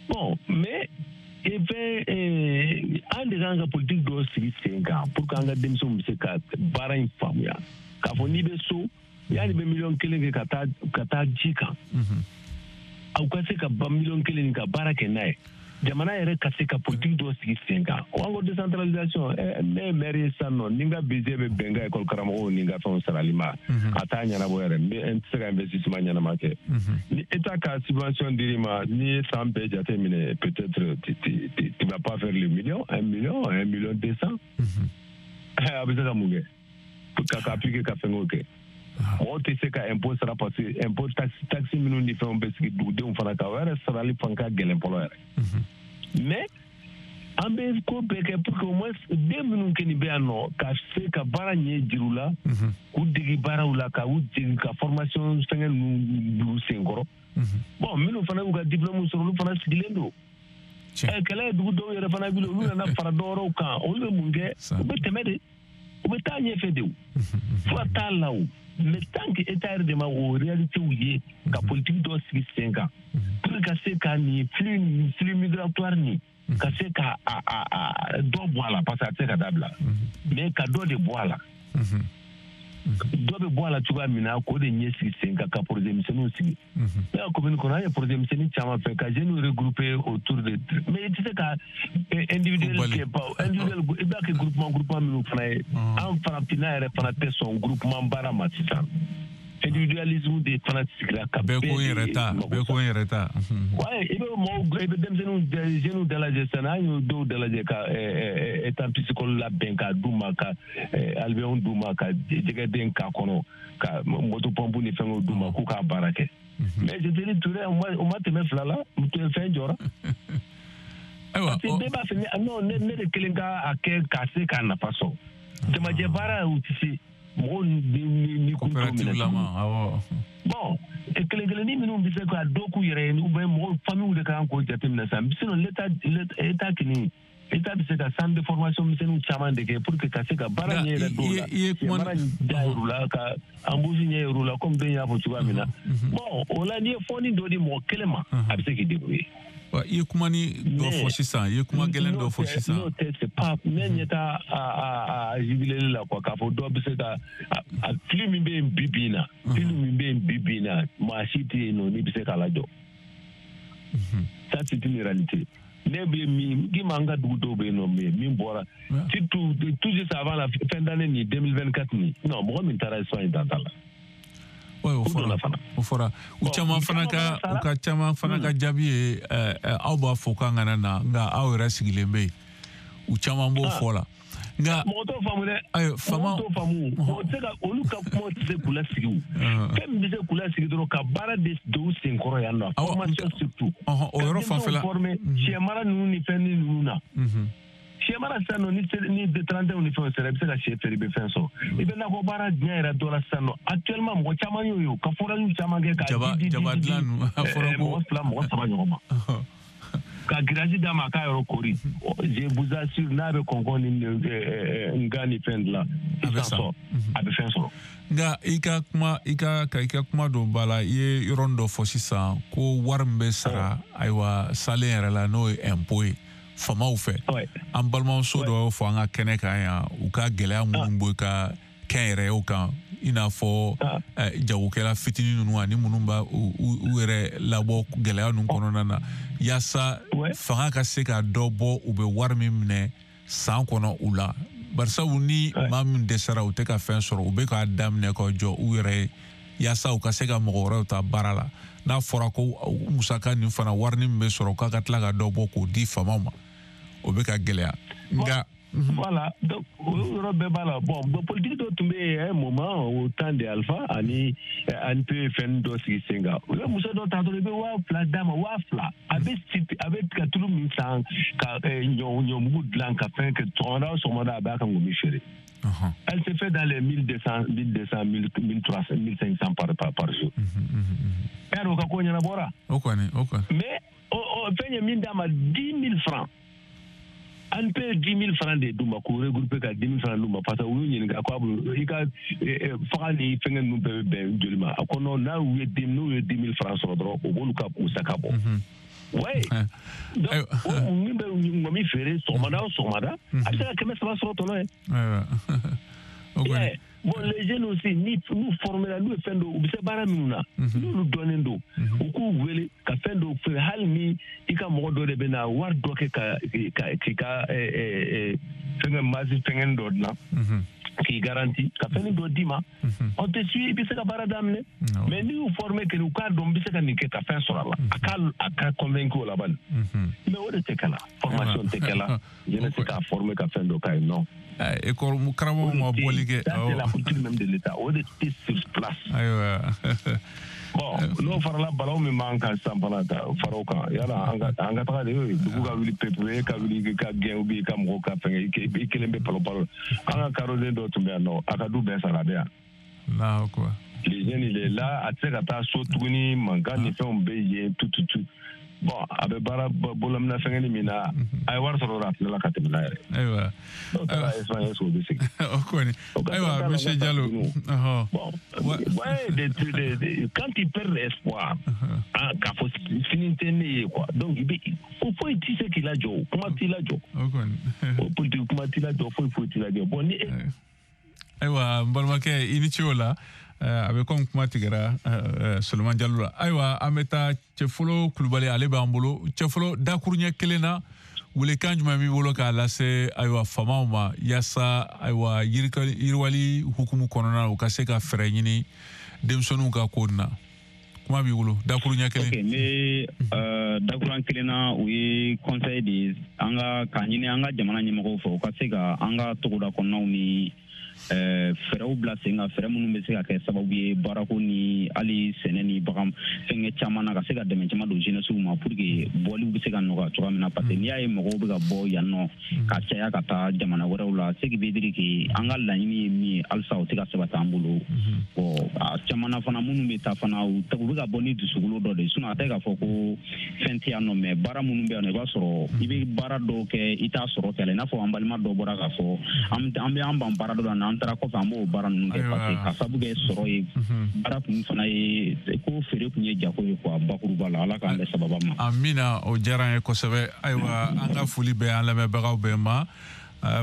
Bon, mais fɛn an de kan ka politique dɔ sigi sen kan pour que an ka denmisɛnw bɛ se ka baara in faamuya. K'a fɔ n'i bɛ so, yanni bɛ 1 million kɛ ka taa ji kan, aw ka se ka ba 1 million nin ka baara kɛ n'a ye. Jamana yɛrɛ ka se ka politique dɔ sigi sen kan. O an ko décentralisation, ne ye maire ye sisan nɔ, ni n ka budget bɛ bɛn n ka école karamɔgɔw ni n ka fɛnw sarali ma, a t'a ɲɛnabɔ yɛrɛ, n tɛ se ka investissement ɲɛnama kɛ. Ni État ka subvention dir'i ma, n'i ye san bɛɛ jate minɛ, peut-être tu vas pas faire le million, 1 million, 1 million 200. A bɛ se ka mun kɛ? Ka appliquer ka fɛngɛw kɛ. Mɔgɔw tɛ se ka impôt sara parce que impôt taxe minnu ni fɛnw bɛ sigi dugudenw fana kan, o yɛrɛ sarali fana ka gɛlɛn fɔlɔ yɛrɛ. Mais an bɛ ko bɛɛ kɛ pour que au moins den minnu kɛ nin bɛ yan nɔ ka se ka baara ɲɛ jir'u la, k'u degi baaraw la, ka u degi ka formation fɛngɛ ninnu bil'u senkɔrɔ. Bon, minnu fana y'u ka diplôme sɔrɔ, olu fana sigilen don. Kɛlɛ ye dugu dɔw yɛrɛ fana wuli, olu nana fara dɔwɛrɛw kan, olu bɛ mun kɛ? U bɛ tɛmɛ de, u bɛ taa ɲɛfɛ de, o fura t'a la o. Mais tant que État yɛrɛ de ma o réalité ye, ka politique dɔ sigi sen kan pour que ka se ka nin flux migratoire nin ka se ka a dɔ bɔ a la, parce que a tɛ se ka dabila, mais ka dɔ de bɔ a la. Dɔ bɛ bɔ a la cogoya min na, k'o de ɲɛ sigi sen kan, ka projet misɛnninw sigi. Ne ka commune kɔnɔ, an ye projet misɛnnin caman fɛ ka jeunes regrouper autour de, mais i tɛ se ka individuel kɛ, individuel i b'a kɛ groupement minnu fana ye. An farafinna yɛrɛ fana tɛ sɔn groupement baara ma sisan. Individualisme de fana sigira ka bɛɛ ko n yɛrɛ ta, bɛɛ ko n yɛrɛ ta. Ouais, i bɛ mɔgɔw, i bɛ denmisɛnninw, jeunes dalajɛ sisan, an y'o dɔw dalajɛ ka étang piscicole labɛn k'a d'u ma, ka alvéole d'u ma, ka jɛgɛden k'a kɔnɔ, ka moto pompe ni fɛngɛw d'u ma k'u k'a baara kɛ. Mais je te dis Touré, o ma tɛmɛ fila la, fɛn jɔra. Ayiwa, parce que bɛɛ b'a fɛ non, ne de kelen ka a kɛ k'a se k'a nafa sɔrɔ. Jamajɛ baara u tɛ se. Mɔgɔw ni kun t'o minɛ. Bon, kelen kelennin minnu bɛ se ka dɔ k'u yɛrɛ ye, ou bien mɔgɔw famille de kan k'o jateminɛ sisan. Sinon l'État kɔni, État bɛ se ka centre de formation misɛnninw caman de kɛ pour que ka se ka baara ɲɛ yɛrɛ dɔw la, baara da yir'u la, ka embauche ɲɛ yir'u la, comme den y'a fɔ cogoya min na. Bon, o la n'i ye fɔni dɔ di mɔgɔ kelen ma, a bɛ se k'i débrouiller. I ye kuma ni dɔ fɔ sisan, i ye kuma gɛlɛn dɔ fɔ sisan. N'o tɛ, c'est pas ne ɲɛ t'a a jubileli la quoi, k'a fɔ dɔ bɛ se ka a flux min bɛ yen bi bi in na, flux min bɛ yen bi bi in na, maa si tɛ yen nɔ n'i bɛ se k'a lajɔ. Ça c'est une réalité. Ne bɛ min k'i ma, an ka dugu dɔw bɛ yen nɔ min bɔra surtout tout juste avant la fin d'année nin 2024 nin, non, mɔgɔ min taara Espagne dan t'a la. Ouais, o fɔra, o fɔra. U caman fana ka, u ka caman fana ka jaabi ye aw b'a fɔ k'an kana na, nka aw yɛrɛ sigilen bɛ yen. U caman b'o fɔ la. Nka mɔgɔ t'o faamu dɛ. Ayi, faama mɔgɔ t'o faamu. Mɔgɔ tɛ se ka olu ka kuma tɛ se k'u lasigi o. Fɛn min bɛ se k'u lasigi dɔrɔn, ka baara de don u senkɔrɔ yan nɔ. Formation surtout. O yɔrɔ fanfɛla. Former sɛ mara ninnu ni fɛn ninnu na. Sɛ mara sisan nɔ, ni 31 ni fɛnw sera, i bɛ se ka sɛ feere, i bɛ fɛn sɔrɔ. I bɛ nakɔ baara diɲɛ yɛrɛ dɔ la sisan nɔ. Actuellement, mɔgɔ caman y'o ye ka forage caman kɛ k'a di jaba dilan ninnu, a fɔra ko mɔgɔ 2, mɔgɔ 3 ɲɔgɔn ma. Ka grillage d'a ma a k'a yɔrɔ kori. Je vous assure, n'a bɛ kɔnkɔn ni nka ni fɛn dilan, a bɛ san, a bɛ fɛn sɔrɔ. Nka i ka kuma, i ka ka i ka kuma dɔ ba la, i ye yɔrɔnin dɔ fɔ sisan ko wari min bɛ sara, ayiwa, salen yɛrɛ la, n'o ye impôt ye faamaw fɛ. An balimamuso dɔ y'o fɔ an ka kɛnɛ kan yan, u ka gɛlɛya minnu bɛ ka kɛnyɛrɛyew kan, i n'a fɔ jagokɛla fitinin ninnu ani minnu b'a u yɛrɛ labɔ gɛlɛya ninnu kɔnɔna na, yaasa fanga ka se ka dɔ bɔ u bɛ wari min minɛ san kɔnɔ u la. Barisabu ni maa min dɛsɛra, u tɛ ka fɛn sɔrɔ, u bɛ k'a daminɛ ka jɔ u yɛrɛ ye yaasa u ka se ka mɔgɔ wɛrɛw ta baara la. N'a fɔra ko musaka nin fana, wari min bɛ sɔrɔ, k'a ka tila ka dɔ bɔ k'o di faamaw ma, o bɛ ka gɛlɛya. Nka Voilà, donc o yɔrɔ bɛɛ b'a la. Bon, politique dɔ tun bɛ yen un moment, au temps de Alpha, ani ANP ye fɛn dɔ sigi sen kan. U ye muso dɔ ta dɔrɔn, i bɛ 2000 d'a ma, 2000. A bɛ ka tulu min san, ka ɲɔmugu dilan, ka fɛn kɛ, sɔgɔmada o sɔgɔmada a b'a ka ŋɔmi feere. Elle se fait dans les 1200, 1200, 1300, 1500 par jour. E y'a dɔn o ka ko ɲɛnabɔra. O kɔni, o kɔni. Mais fɛn ye min d'a ma, 10 000 francs. An peut 10 000 francs de d'u ma, k'u regrouper ka 10 000 francs d'u ma, parce que u y'u ɲininka ko a bolo i ka faga ni fɛngɛ ninnu bɛɛ bɛ bɛn joli ma. A ko non, n'u ye 10 000 francs sɔrɔ dɔrɔn, o b'olu ka musaka bɔ. Ouais. Donc o min bɛ ŋɔmi feere sɔgɔmada o sɔgɔmada, a bɛ se ka 300 sɔrɔ tɔnɔ ye. Bon, les jeunes aussi, ni n'u formera, n'u ye fɛn dɔw, u bɛ se baara minnu na, n'olu dɔnnen don, u k'u wele ka fɛn dɔw feere. Hali ni i ka mɔgɔ dɔ de bɛ na wari dɔ kɛ ka k'i ka fɛngɛ masi fɛngɛ dɔ dilan, k'i garanti ka fɛn dɔ d'i ma, on te suit, i bɛ se ka baara daminɛ. Mais n'i y'u former kɛ, u k'a dɔn n bɛ se ka nin kɛ ka fɛn sɔrɔ a la, a ka convaincre o la bani. Mais o de tɛ kɛ la, formation tɛ kɛ la, jeunesse k'a former ka fɛn dɔ k'a ye, non. École karamɔgɔ ma bɔli kɛ. Ça, c'est la politique même de l'État. O de tɛ sur place. Ayiwa. Bon, n'o farala balaw min b'an kan sisan fana, ka fara o kan, yala an ka taga de dugu ka wuli pewu, e ka wuli ka gɛn ou bien i ka mɔgɔw ka fɛngɛ, i kelen bɛ palo palo. An ka karoden dɔ tun bɛ yan nɔ, a ka du bɛɛ sara, a bɛ yan. Allahu akbar. Les jeunes, il est là, a tɛ se ka taa so tuguni, mankan ni fɛnw bɛ yen, tout tout tout. Bon, a bɛ baara bolominɛ fɛngɛni min na, a ye wari sɔrɔ a tilala ka tɛmɛ n'a yɛrɛ. Ayiwa. N'o taara Espagne, est-ce que o bɛ segin? O kɔni. Ayiwa, monsieur Diallo. Bon, ouais, quand il perd l'espoir, k'a fɔ sini tɛ ne ye quoi. Donc i bɛ ko foyi tɛ se k'i lajɔ, kuma t'i lajɔ. O kɔni. O politique kuma t'i lajɔ, foyi foyi t'i lajɔ. Bon, ni. Ayiwa, n balimakɛ, i ni ce o la. A bɛ komi kuma tigɛra Solomani Jalo la. Ayiwa, an bɛ taa Cɛfolo Kulubali, ale b'an bolo. Cɛfolo, dakuruɲɛ kelen na, welekan jumɛn b'i bolo k'a lase, ayiwa, faamaw ma, yaasa, ayiwa, yiriwali hukumu kɔnɔna na, u ka se ka fɛɛrɛ ɲini denmisɛnninw ka ko na? Kuma b'i bolo, dakuruɲɛ kelen. Ok, n bɛ dakuruɲɛ kelen na, o ye conseil de ye an ka k'a ɲini an ka jamana ɲɛmɔgɔw fɛ, u ka se ka an ka togoda kɔnɔnaw ni fɛɛrɛw bila sen kan, fɛɛrɛ minnu bɛ se ka kɛ sababu ye baarako ni hali sɛnɛ ni bagan fɛnkɛ caman na, ka se ka dɛmɛ caman don jeunesse ma pour que bɔliw bɛ se ka nɔgɔya cogoya min na. Parce que n'i y'a ye mɔgɔw bɛ ka bɔ yan nɔ ka caya ka taa jamana wɛrɛw la, ce qui veut dire que an ka laɲini ye min ye, halisa o tɛ ka sabati an bolo. Bon, a caman na fana, minnu bɛ taa fana, u bɛ ka bɔ ni dusukolo dɔ de ye, sinon a tɛ k'a fɔ ko fɛn tɛ yan nɔ. Mais baara minnu bɛ yan nɔ, i b'a sɔrɔ i bɛ baara dɔw kɛ, i t'a sɔrɔ kɛlɛ. I n'a fɔ an balima dɔ bɔra k'a fɔ, an bɛ an ban baara dɔ la, n'an taara kɔfɛ an b'o baara ninnu kɛ, parce que ka sababu kɛ sɔrɔ ye, baara kun fana ye ko feere kun ye jago ye quoi, bakuruba la. Ala k'an bɛn sababa ma. Amina, o diyara an ye kosɛbɛ. Ayiwa, an ka foli bɛ an lamɛnbagaw bɛɛ ma,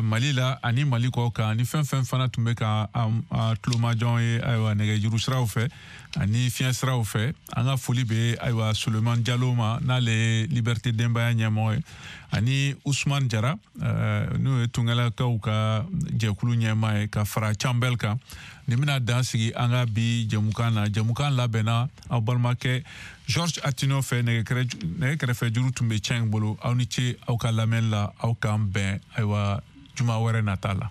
Mali la ani Mali kɔ kan, ni fɛn fɛn fana tun bɛ ka tulomajɔ ye, ayiwa, nɛgɛjuru siraw fɛ ani fiɲɛ siraw fɛ. An ka foli bɛ, ayiwa, Solomani Jalo ma, n'ale ye Liberté Denbaya ɲɛmɔgɔ ye, ani Usman Jara, n'o ye tungalakaw ka jɛkulu ɲɛmaa ye, ka fara Canbɛl kan. Nin bɛna dan sigi an ka bi jɛmukan na. Jɛmukan labɛnna aw balimakɛ Georges Atino fɛ, nɛgɛ kɛrɛfɛ juru tun bɛ cɛ in bolo. Aw ni ce aw ka lamɛnni la, aw k'an bɛn, ayiwa, juma wɛrɛ nata la.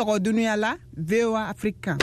sɔgɔ dunuya la, VOA Afrique kan.